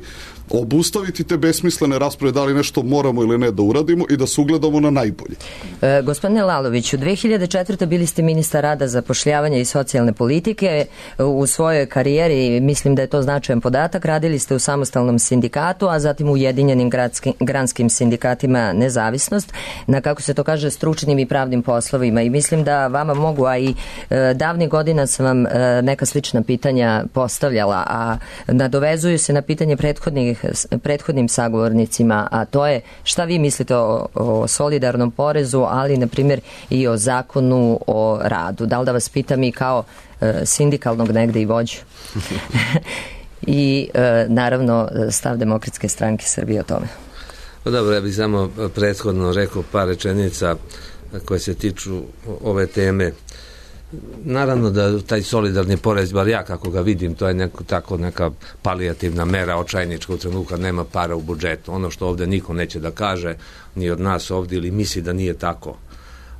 obustaviti te besmislene rasprave da li nešto moramo ili ne da uradimo i da se ugledamo na najbolje. E, gospodine Laloviću, dve hiljade četvrte. bili ste ministar rada, zapošljavanja i socijalne politike. U svojoj karijeri, mislim da je to značajan podatak, radili ste u samostalnom sindikatu, a zatim u Ujedinjenim gradskim, granskim sindikatima Nezavisnost, na, kako se to kaže, stručnim i pravnim poslovima. I mislim da vama mogu, a i e, davnih godina sam vam e, neka slična pitanja postavljala, a nadovezuju se na pitanje prethodnih prethodnim sagovornicima, a to je šta vi mislite o, o solidarnom porezu, ali na primjer i o zakonu o radu. Da li da vas pitam i kao e, sindikalnog negde i vođu? I e, naravno stav Demokratske stranke Srbije o tome. Pa dobro, ja bih samo prethodno rekao par rečenica koje se tiču ove teme. Naravno da taj solidarni porez, bar ja kako ga vidim, to je neko, tako neka palijativna mera očajnička u trenutku kad nema para u budžetu. Ono što ovde niko neće da kaže, ni od nas ovde, ili misli da nije tako,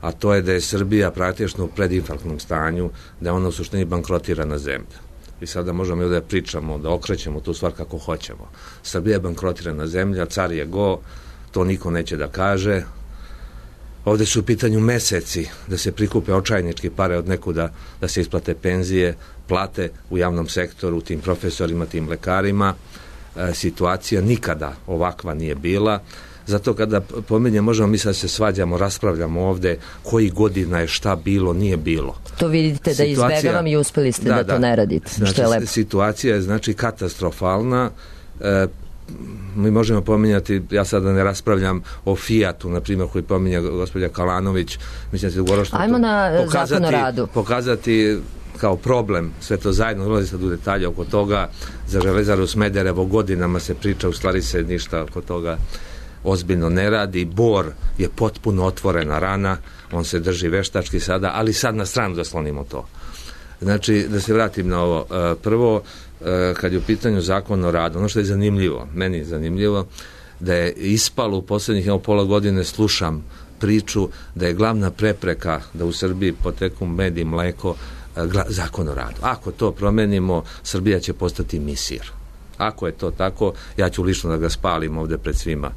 a to je da je Srbija praktično u predinfarktnom stanju, da je ona u suštini bankrotirana zemlja. I sada možemo i ovde da pričamo, da okrećemo tu stvar kako hoćemo. Srbija je bankrotirana zemlja, car je go, to niko neće da kaže. Ovde su u pitanju meseci da se prikupe očajnički pare od nekuda, da se isplate penzije, plate u javnom sektoru, tim profesorima, tim lekarima. E, situacija nikada ovakva nije bila. Zato kada pominjem, možemo mi sad se svađamo, raspravljamo ovde koji godina je šta bilo, nije bilo. To vidite da izbegavam i uspeli ste da, da to ne radite, znači, što je lepo. Situacija je znači katastrofalna. E, mi možemo pominjati, ja sada ne raspravljam o Fijatu, na primjer, koji pominja gospođa Kalanović, mislim da se ugoro što Ajmo na pokazati, zakon o radu. Pokazati kao problem, sve to zajedno, ulazi sad u detalje oko toga. Za Železaru Smederevo godinama se priča, u stvari se ništa oko toga ozbiljno ne radi. Bor je potpuno otvorena rana, on se drži veštački sada, ali sad na stranu da slonimo to. Znači, da se vratim na ovo. Prvo, kad je u pitanju zakon o radu, ono što je zanimljivo, meni je zanimljivo, da je ispalo u poslednjih evo, pola godine, slušam priču da je glavna prepreka da u Srbiji poteku med i mleko zakon o radu. Ako to promenimo, Srbija će postati misir. Ako je to tako, ja ću lično da ga spalim ovde pred svima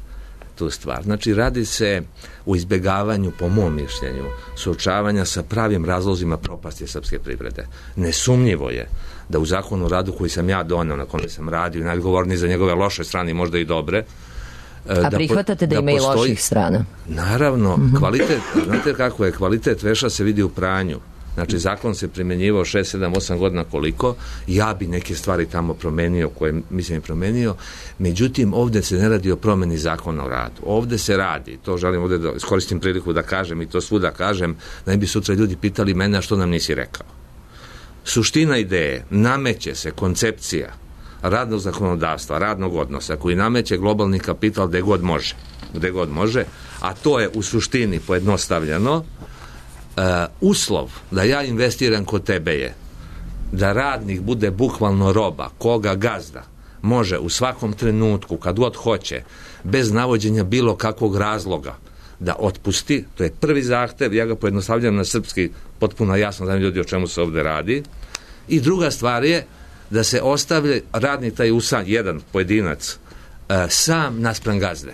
tu stvar. Znači, radi se u izbegavanju, po mom mišljenju, suočavanja sa pravim razlozima propasti srpske privrede. Nesumnjivo je da u zakonu o radu koji sam ja doneo, na kome sam radio, najodgovorniji za njegove loše strane, možda i dobre. A da prihvatate da, da ima i loših strana? Naravno, mm-hmm. kvalitet, znate kako je, kvalitet veša se vidi u pranju. Znači, zakon se primjenjivao šest, sedam, osam godina koliko, ja bi neke stvari tamo promenio, koje mislim je promenio, međutim, ovde se ne radi o promeni zakona o radu. Ovde se radi, to želim ovde da iskoristim priliku da kažem i to svuda kažem, da ne bi sutra ljudi pitali mene, a što nam nisi rekao. Suština ideje, nameće se koncepcija radnog zakonodavstva, radnog odnosa, koji nameće globalni kapital gde god može, gde god može, a to je u suštini pojednostavljeno. Uh, uslov da ja investiram kod tebe je da radnik bude bukvalno roba, koga gazda može u svakom trenutku, kad god hoće, bez navođenja bilo kakvog razloga da otpusti. To je prvi zahtev, ja ga pojednostavljam na srpski, potpuno jasno znam ljudi o čemu se ovde radi. I druga stvar je da se ostavlja radnik taj usan, jedan pojedinac, uh, sam naspram gazde.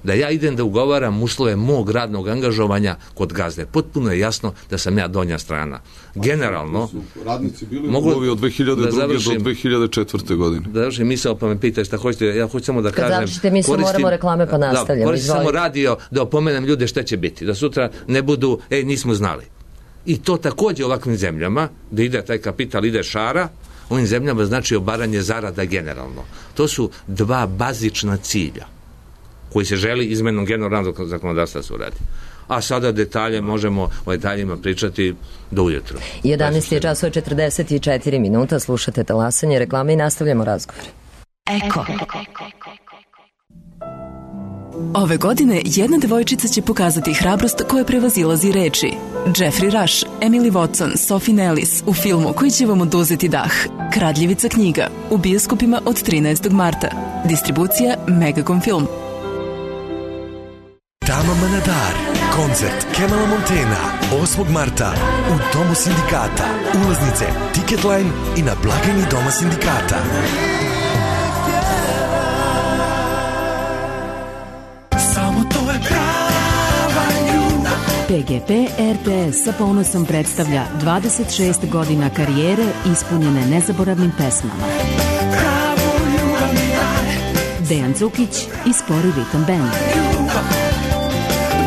da ja idem da ugovaram uslove mog radnog angažovanja kod gazde. Potpuno je jasno da sam ja donja strana. Generalno, radnici bili mogu u od dve hiljade druge da završim, do dve hiljade četvrte godine. Da završim misao, pa me pitaj šta hoćete, ja hoću samo da Kad kažem... završite misao, moramo reklame pa nastavljamo. Da, koristim samo Izvolite. radio da opomenem ljude šta će biti, da sutra ne budu, ej, nismo znali. I to takođe u ovakvim zemljama, da ide taj kapital, ide šara, ovim zemljama znači obaranje zarada generalno. To su dva bazična cilja koji se želi izmenom generalnog zakonodavstva se uradi. A sada detalje možemo o detaljima pričati do ujutru. jedanaest je časova četrdeset četiri minuta, slušate talasanje reklame i nastavljamo razgovor. Eko. Ove godine jedna devojčica će pokazati hrabrost koja prevazilazi reči. Jeffrey Rush, Emily Watson, Sophie Nellis u filmu koji će vam oduzeti dah. Kradljivica knjiga u bioskopima od trinaestog marta. Distribucija Megacom Film. Tama Manadar, koncert Kemala Montena, osmog marta u Domu sindikata. Ulaznice, Ticketline i na blagajni Doma sindikata. Samo to je prava ljubav. P G P R T S sa ponosom predstavlja dvadeset šest godina karijere ispunjene nezaboravnim pesmama. Pravo ljubav mi daj. Dejan Cukić i Spori Ritam Band.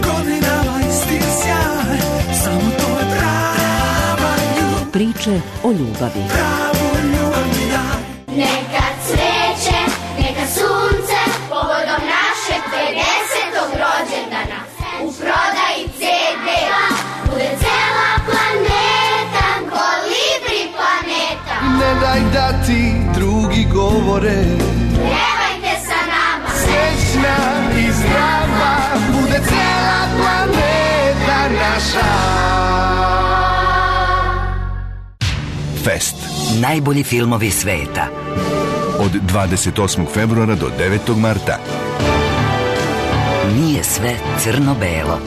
Godinama isti sjaj. Samo to je prava ljubav. Priče o ljubavi. Pravo ljubav mi daj. Neka cveće, neka sunce, povodom našeg pedesetog rođendana. U prodaji ce de bude cela planeta, kolibri planeta. Ne daj da ti drugi govore. Pjevajte sa nama. Srećna i zdrava bude cela planeta naša. Fest. Najbolji filmovi sveta. Od dvadeset osmog februara do devetog marta. Nije sve crno-belo.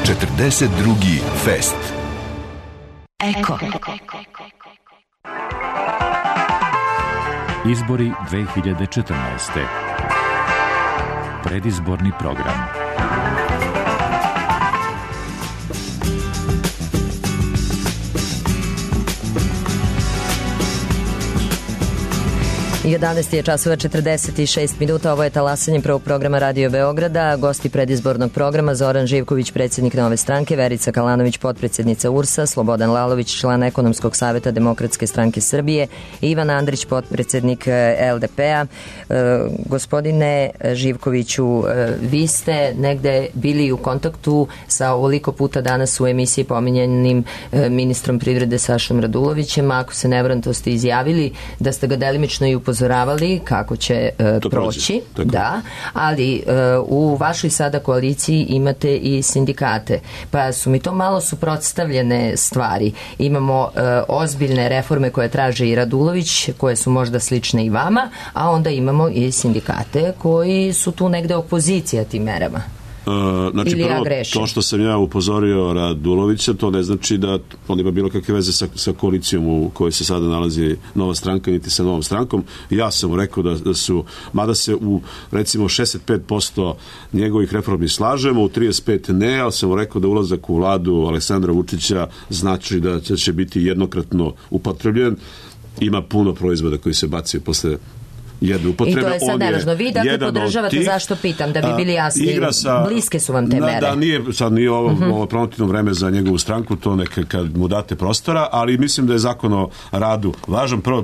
četrdeset drugi Fest. Eko. Izbori dve hiljade četrnaeste. Predizborni program. jedanaest je časova četrdeset šest minuta, ovo je talasanje prvog programa Radio Beograda, gosti predizbornog programa Zoran Živković, predsjednik Nove stranke, Verica Kalanović, potpredsjednica U R S-a, Slobodan Lalović, član Ekonomskog savjeta Demokratske stranke Srbije, Ivan Andrić, potpredsjednik L D P-a. E, gospodine Živkoviću, e, vi ste negde bili u kontaktu sa ovoliko puta danas u emisiji pominjanim e, ministrom privrede Sašom Radulovićem, ako se ne varam, to ste izjavili da ste ga delimično i upozoravali kako će uh, proći, da, ali uh, u vašoj sada koaliciji imate i sindikate, pa su mi to malo suprotstavljene stvari. Imamo uh, ozbiljne reforme koje traže i Radulović, koje su možda slične i vama, a onda imamo i sindikate koji su tu negde opozicija tim merama. Uh, znači Ili prvo, ja to što sam ja upozorio Radulovića, to ne znači da on ima bilo kakve veze sa, sa koalicijom u kojoj se sada nalazi Nova stranka, niti sa Novom strankom. Ja sam mu rekao da, da su, mada se u recimo šezdeset pet posto njegovih reformi slažemo, u trideset pet ne, ali sam mu rekao da ulazak u vladu Aleksandra Vučića znači da će biti jednokratno upotrebljen. Ima puno proizvoda koji se bacaju posle jedne upotrebe. I to je sad nevažno. Vi dakle podržavate, tih, zašto pitam, da bi bili jasni, sa, bliske su vam te na, mere. Da, nije, sad nije ovo, uh-huh. ovo promotivno vreme za njegovu stranku, to neka kad mu date prostora, ali mislim da je zakon o radu važan. Prvo,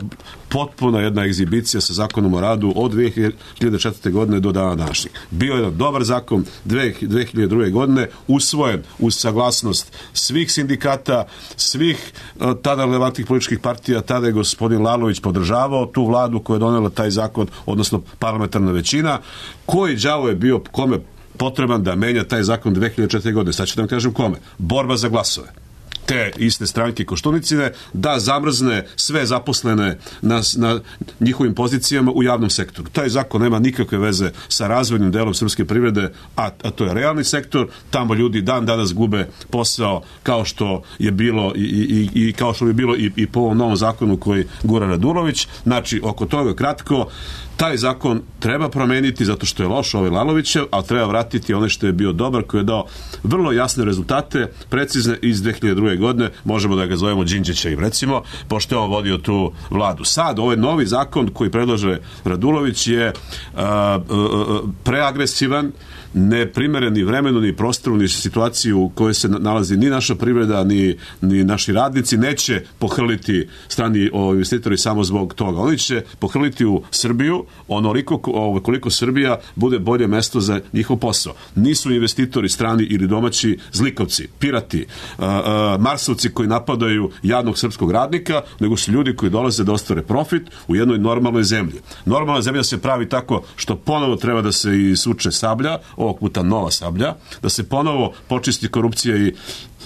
potpuna jedna egzibicija sa zakonom o radu od dve hiljade četvrte godine do dana današnjeg. Bio je jedan dobar zakon dve hiljade druge godine, usvojen uz saglasnost svih sindikata, svih uh, tada relevantnih političkih partija. Tada je gospodin Lalović podržavao tu vladu koja je donela taj zakon, odnosno parlamentarna većina. Koji đavo je bio kome potreban da menja taj zakon dve hiljade četvrte godine? Sad ću da vam kažem kome. Borba za glasove. te iste stranke Koštunicine da zamrzne sve zaposlene na, na njihovim pozicijama u javnom sektoru. Taj zakon nema nikakve veze sa razvojnim delom srpske privrede, a, a to je realni sektor. Tamo ljudi dan danas gube posao kao što je bilo i, i, i kao što bi bilo i, i po ovom novom zakonu koji gura Radulović. Znači, oko toga kratko, taj zakon treba promeniti zato što je loš ovaj Lalovićev, ali treba vratiti ono što je bio dobar, koji je dao vrlo jasne rezultate, precizne iz dve hiljade druge. godine, možemo da ga zovemo Đinđića i recimo, pošto je on vodio tu vladu. Sad, ovaj novi zakon koji predlaže Radulović je a, a, a, preagresivan, neprimeren ni vremenu, ni prostoru, ni situaciju u kojoj se nalazi ni naša privreda, ni, ni naši radnici. Neće pohrliti strani o, investitori samo zbog toga. Oni će pohrliti u Srbiju onoliko o, koliko Srbija bude bolje mesto za njihov posao. Nisu investitori strani ili domaći zlikovci, pirati, a, a, marsovci koji napadaju jadnog srpskog radnika, nego su ljudi koji dolaze da ostvare profit u jednoj normalnoj zemlji. Normalna zemlja se pravi tako što ponovo treba da se isuče sablja, ovog puta nova sablja, da se ponovo počisti korupcija i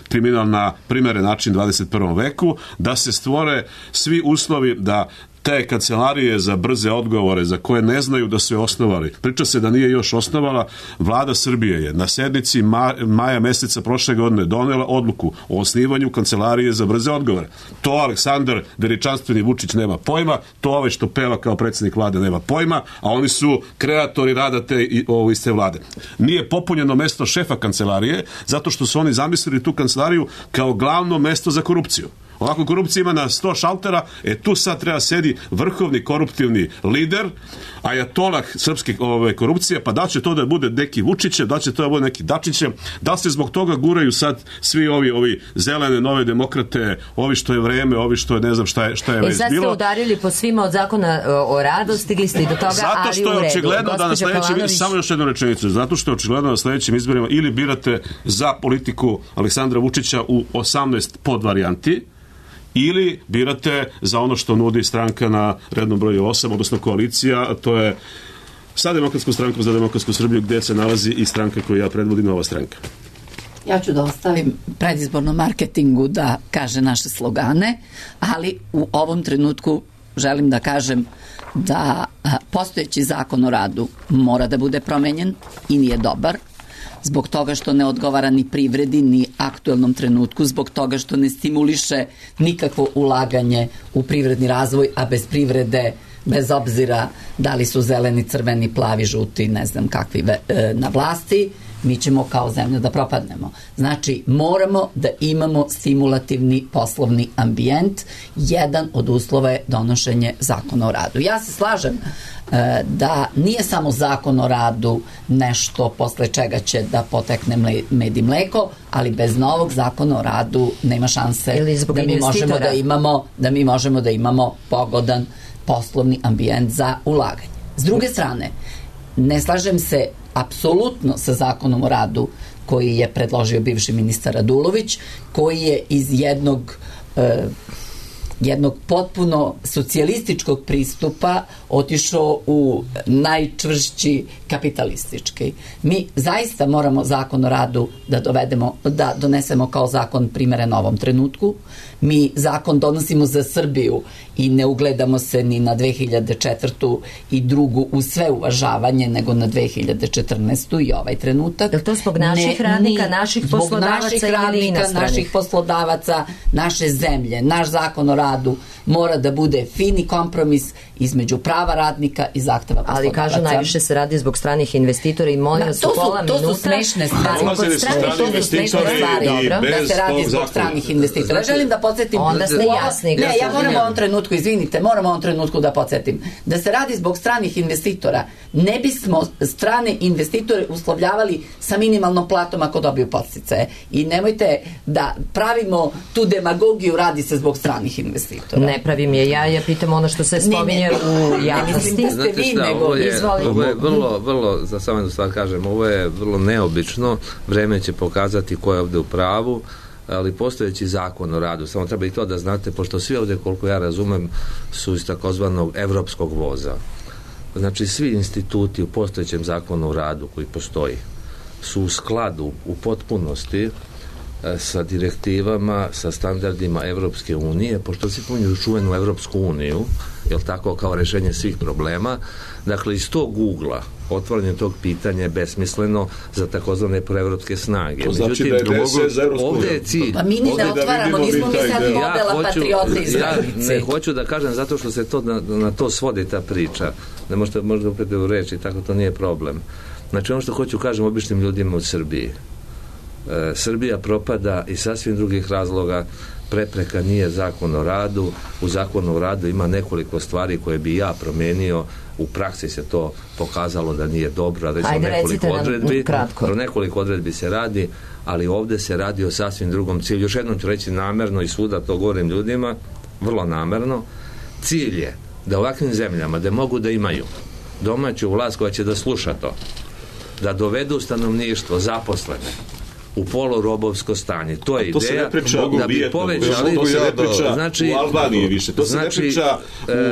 kriminal na primeren način dvadeset prvom veku, da se stvore svi uslovi da te kancelarije za brze odgovore za koje ne znaju da su je osnovali. Priča se da nije još osnovala. Vlada Srbije je na sednici ma, maja meseca prošle godine donela odluku o osnivanju kancelarije za brze odgovore. To Aleksandar veličanstveni Vučić nema pojma, to ove što peva kao predsjednik vlade nema pojma, a oni su kreatori rada te i ovo iste vlade. Nije popunjeno mesto šefa kancelarije zato što su oni zamislili tu kancelariju kao glavno mesto za korupciju. Ovako korupcija ima na sto šaltera, e tu sad treba sedi vrhovni koruptivni lider, ajatolah srpske ove, korupcije, pa da će to da bude neki Vučiće, da će to da bude neki Dačiće, da se zbog toga guraju sad svi ovi ovi zelene, nove demokrate, ovi što je vreme, ovi što je ne znam šta je, šta je već bilo. E sad ste udarili po svima od zakona o radu, stigli ste i do toga, zato ali što u je redu. očigledno da na sledećim, Palanović... samo još jednu rečenicu, zato što je očigledno na sledećim izborima ili birate za politiku Aleksandra Vučića u osamnaest podvarijanti, ili birate za ono što nudi stranka na rednom broju osam, odnosno koalicija, a to je sa Demokratskom strankom za demokratsku Srbiju, gde se nalazi i stranka koju ja predvodim, Nova stranka. Ja ću da ostavim predizbornom marketingu da kaže naše slogane, ali u ovom trenutku želim da kažem da postojeći zakon o radu mora da bude promenjen i nije dobar, zbog toga što ne odgovara ni privredi, ni aktuelnom trenutku, zbog toga što ne stimuliše nikakvo ulaganje u privredni razvoj, a bez privrede, bez obzira da li su zeleni, crveni, plavi, žuti, ne znam kakvi e, na vlasti, mi ćemo kao zemlja da propadnemo. Znači, moramo da imamo stimulativni poslovni ambijent. Jedan od uslova je donošenje zakona o radu. Ja se slažem e, da nije samo zakon o radu nešto posle čega će da potekne mle, med i mleko, ali bez novog zakona o radu nema šanse da mi možemo da imamo da mi možemo da imamo pogodan poslovni ambijent za ulaganje. S druge strane, ne slažem se apsolutno sa zakonom o radu koji je predložio bivši ministar Radulović, koji je iz jednog e, jednog potpuno socijalističkog pristupa otišao u najčvršći kapitalistički. Mi zaista moramo zakon o radu da dovedemo, da donesemo kao zakon primeren ovom trenutku. Mi zakon donosimo za Srbiju i ne ugledamo se ni na dve hiljade četvrtu i drugu u sve uvažavanje, nego na dve hiljade četrnaestu i ovaj trenutak. Je to zbog naših ne, radnika, naših poslodavaca naših radnika, naših poslodavaca, naše zemlje? Naš zakon o radu mora da bude fini kompromis između prava radnika i zahteva poslodavaca. Ali kažu, najviše se radi zbog stranih investitora i molim vas u pola minuta. To su smešne stvari. To su smešne stvari. Da se radi zbog stranih investitora. Želim da podsjetim. Onda ste jasni. Ne, ja moram u ovom trenutku, izvinite, moram u ovom trenutku da podsjetim. Da se radi zbog stranih investitora. Ne bismo strane investitore uslovljavali sa minimalnom platom ako dobiju podsticaje. I nemojte da pravimo tu demagogiju, radi se zbog stranih investitora. Ne pravim je ja, ja pitam ono što se spominje u javnosti. Znate šta, ovo je, ovo je vrlo, vrlo, za samo jednu stvar kažem, ovo je vrlo neobično, vreme će pokazati ko je ovde u pravu, ali postojeći zakon o radu, samo treba i to da znate, pošto svi ovde, koliko ja razumem, su iz takozvanog evropskog voza. Znači, svi instituti u postojećem zakonu o radu koji postoji su u skladu, u potpunosti sa direktivama, sa standardima Evropske unije, pošto se pominju čuvenu Evropsku uniju, jel tako, kao rešenje svih problema. Dakle, iz tog ugla otvaranje tog pitanja je besmisleno za takozvane proevropske snage. To znači da je D S S za Evropsku uniju. Ovde je cilj. Pa mi ni ne otvaramo, nismo mi sad modela patriotizma. Ja ne hoću da kažem zato što se to na, na to svodi ta priča. Ne možete možda upeti u reči, tako to nije problem. Znači ono što hoću kažem običnim ljudima u Srbiji. E, Srbija propada iz sasvim drugih razloga. Prepreka nije zakon o radu. U zakonu o radu ima nekoliko stvari koje bi ja promenio. U praksi se to pokazalo da nije dobro, a već o nekoliko odredbi. O nekoliko odredbi se radi, ali ovde se radi o sasvim drugom cilju. Još jednom ću reći namerno i svuda to govorim ljudima, vrlo namerno. Cilj je da ovakvim zemljama, da mogu da imaju domaću vlast koja će da sluša to, da dovedu stanovništvo, zaposlene, u polurobovsko stanje. To je to ideja priča, da bi povećali... To se ne priča znači, u Albaniji više. To se znači, ne priča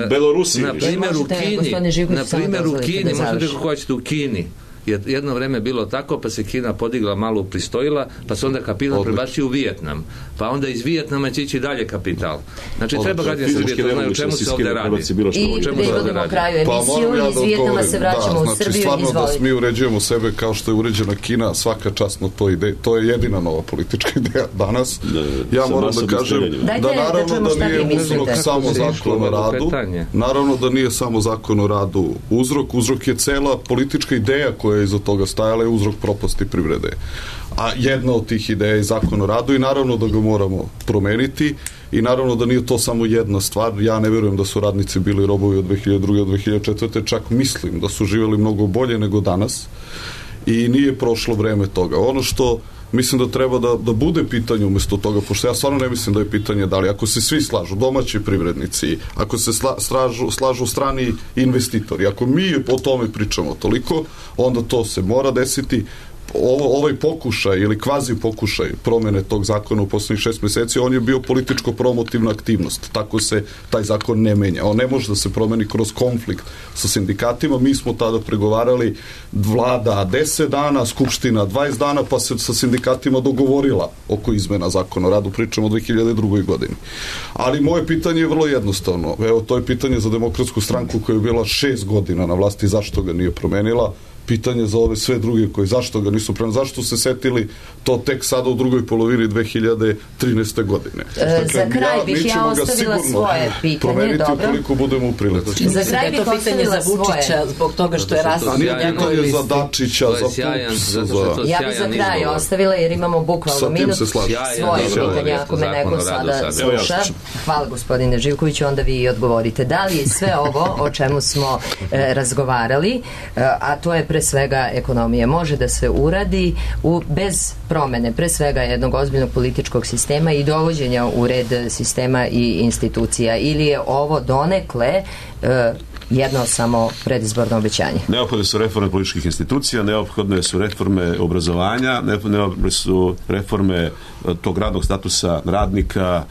u Belorusiji na primjer u Kini, na primjer u Kini, možete kako hoćete u Kini, jedno vreme bilo tako, pa se Kina podigla, malo pristojila, pa se onda kapital prebacio u Vijetnam. Pa onda iz Vijetnama će ići dalje kapital. Znači, Odlično. Treba građani Srbije to znaju o čemu se ovdje radi. I privodimo kraju emisiju, pa, iz Vijetnama se vraćamo da, u Srbiju. Znači, stvarno da mi uređujemo sebe kao što je uređena Kina, svaka čast na to ide. To je jedina nova politička ideja danas. Da, ja moram da kažem Dajte, da naravno da, da nije uzrok samo zakon o radu. Naravno da nije samo zakon o radu uzrok. Uzrok je cela politička ideja koja je iza toga stajala, je uzrok propasti privrede. A jedna od tih ideja je zakon o radu i naravno da ga moramo promeniti i naravno da nije to samo jedna stvar. Ja ne vjerujem da su radnici bili robovi od dve hiljade druge do dve hiljade četvrte. Čak mislim da su živjeli mnogo bolje nego danas i nije prošlo vreme toga. Ono što mislim da treba da, da bude pitanje umjesto toga, pošto ja stvarno ne mislim da je pitanje da li, ako se svi slažu, domaći privrednici, ako se sla, slažu, slažu strani investitori, ako mi o tome pričamo toliko, onda to se mora desiti. Ovo, ovaj pokušaj ili kvazi pokušaj promjene tog zakona u posljednjih šest mjeseci, on je bio političko-promotivna aktivnost. Tako se taj zakon ne menja. On ne može da se promeni kroz konflikt sa sindikatima. Mi smo tada pregovarali vlada deset dana, skupština dvadeset dana, pa se sa sindikatima dogovorila oko izmena zakona o radu. Pričamo o dve hiljade druge godini. Ali moje pitanje je vrlo jednostavno. Evo, to je pitanje za Demokratsku stranku koja je bila šest godina na vlasti. Zašto ga nije promenila? Pitanje za ove sve druge koji zašto ga nisu prema, zašto se setili to tek sada u drugoj polovini dve hiljade trinaeste godine. E, dakle, za kraj ja, bih ja ostavila svoje pitanje, dobro. Ukoliko budemo u prilici. Za kraj bih ostavila svoje. Zbog toga što je rasno. A nije pitanje za Dačića, za Pups. Za... Ja bih za kraj ostavila jer imamo bukvalno minut svoje pitanje ako me neko sada sluša. Hvala gospodine Živkoviću, onda vi odgovorite. Da li sve ovo o čemu smo e, razgovarali, e, a to je pre svega ekonomije, može da se uradi u, bez promene, pre svega jednog ozbiljnog političkog sistema i dovođenja u red sistema i institucija, ili je ovo donekle e, jedno samo predizborno obećanje? Neophodne su reforme političkih institucija, neophodne su reforme obrazovanja, neophodne su reforme tog radnog statusa radnika,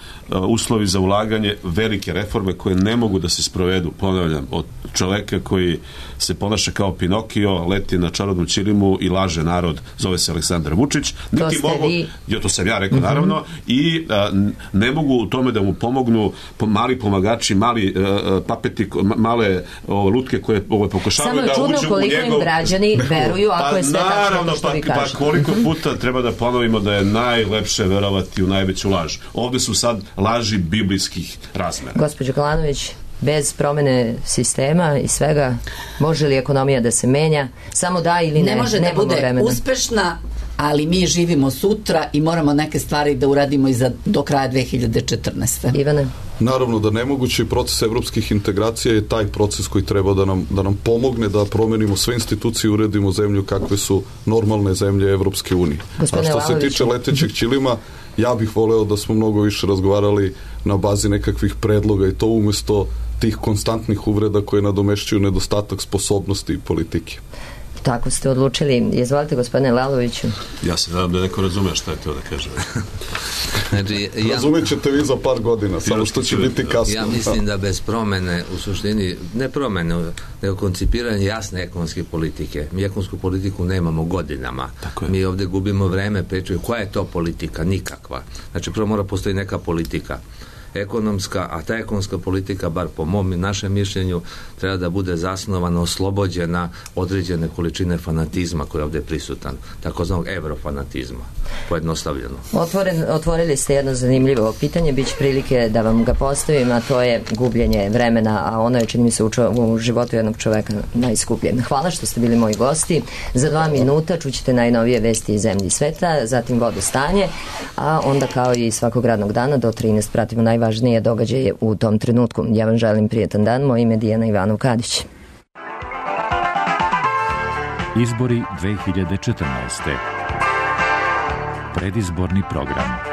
uslovi za ulaganje, velike reforme koje ne mogu da se sprovedu, ponavljam, od čoveka koji se ponaša kao Pinokio, leti na čarobnom ćilimu i laže narod, zove se Aleksandar Vučić. Niti mogu, vi... jo, to sam ja rekao, mm-hmm. naravno, i a, ne mogu u tome da mu pomognu mali pomagači, mali a, papeti, male o, lutke koje ovo pokušavaju da uđu u njegov... Samo je čudno koliko im građani veruju ako pa, je sve tačno što pa, vi kažete. Pa koliko puta treba da ponovimo da je najlepše verovati u najveću laž. Ovde su sad laži biblijskih razmera. Gospođo Kalanović, bez promene sistema i svega, može li ekonomija da se menja? Samo da ili ne? Ne može da bude vremena. Uspešna, ali mi živimo sutra i moramo neke stvari da uradimo i za, do kraja dve hiljade četrnaeste. Ivane? Naravno da nemogući proces evropskih integracija je taj proces koji treba da nam, da nam pomogne da promenimo sve institucije i uredimo zemlju kakve su normalne zemlje Evropske unije. Gospodine A što se tiče letećeg ćilima, ja bih voleo da smo mnogo više razgovarali na bazi nekakvih predloga i to umjesto tih konstantnih uvreda koje nadomešćuju nedostatak sposobnosti i politike. Tako ste odlučili. Izvolite, gospodine Laloviću. Ja se nadam da neko razume šta je to da kažem. Znači, ja, Razumjet ćete vi za par godina, samo što će biti kasno. Ja mislim da bez promene, u suštini, ne promene, nego koncipiranje jasne ekonomske politike. Mi ekonomsku politiku nemamo godinama. Mi ovdje gubimo vreme, pričaju koja je to politika? Nikakva. Znači, prvo mora postoji neka politika ekonomska, a ta ekonomska politika, bar po mom i našem mišljenju, treba da bude zasnovana, oslobođena određene količine fanatizma koji je ovdje prisutan, takozvanog eurofanatizma, pojednostavljeno. Otvoren, otvorili ste jedno zanimljivo pitanje, bit će prilike da vam ga postavim, a to je gubljenje vremena, a ono je, čini mi se, u, čo, u životu jednog čoveka najskuplje. Hvala što ste bili moji gosti. Za dva minuta čućete najnovije vesti iz zemlji i sveta, zatim vodostanje, a onda kao i svakog radnog dana do trinaest pratimo naj važnije događaje u tom trenutku. Ja vam želim prijetan dan, moje ime je Dijana Ivanov-Kadić. Izbori dve hiljade četrnaeste. Predizborni program.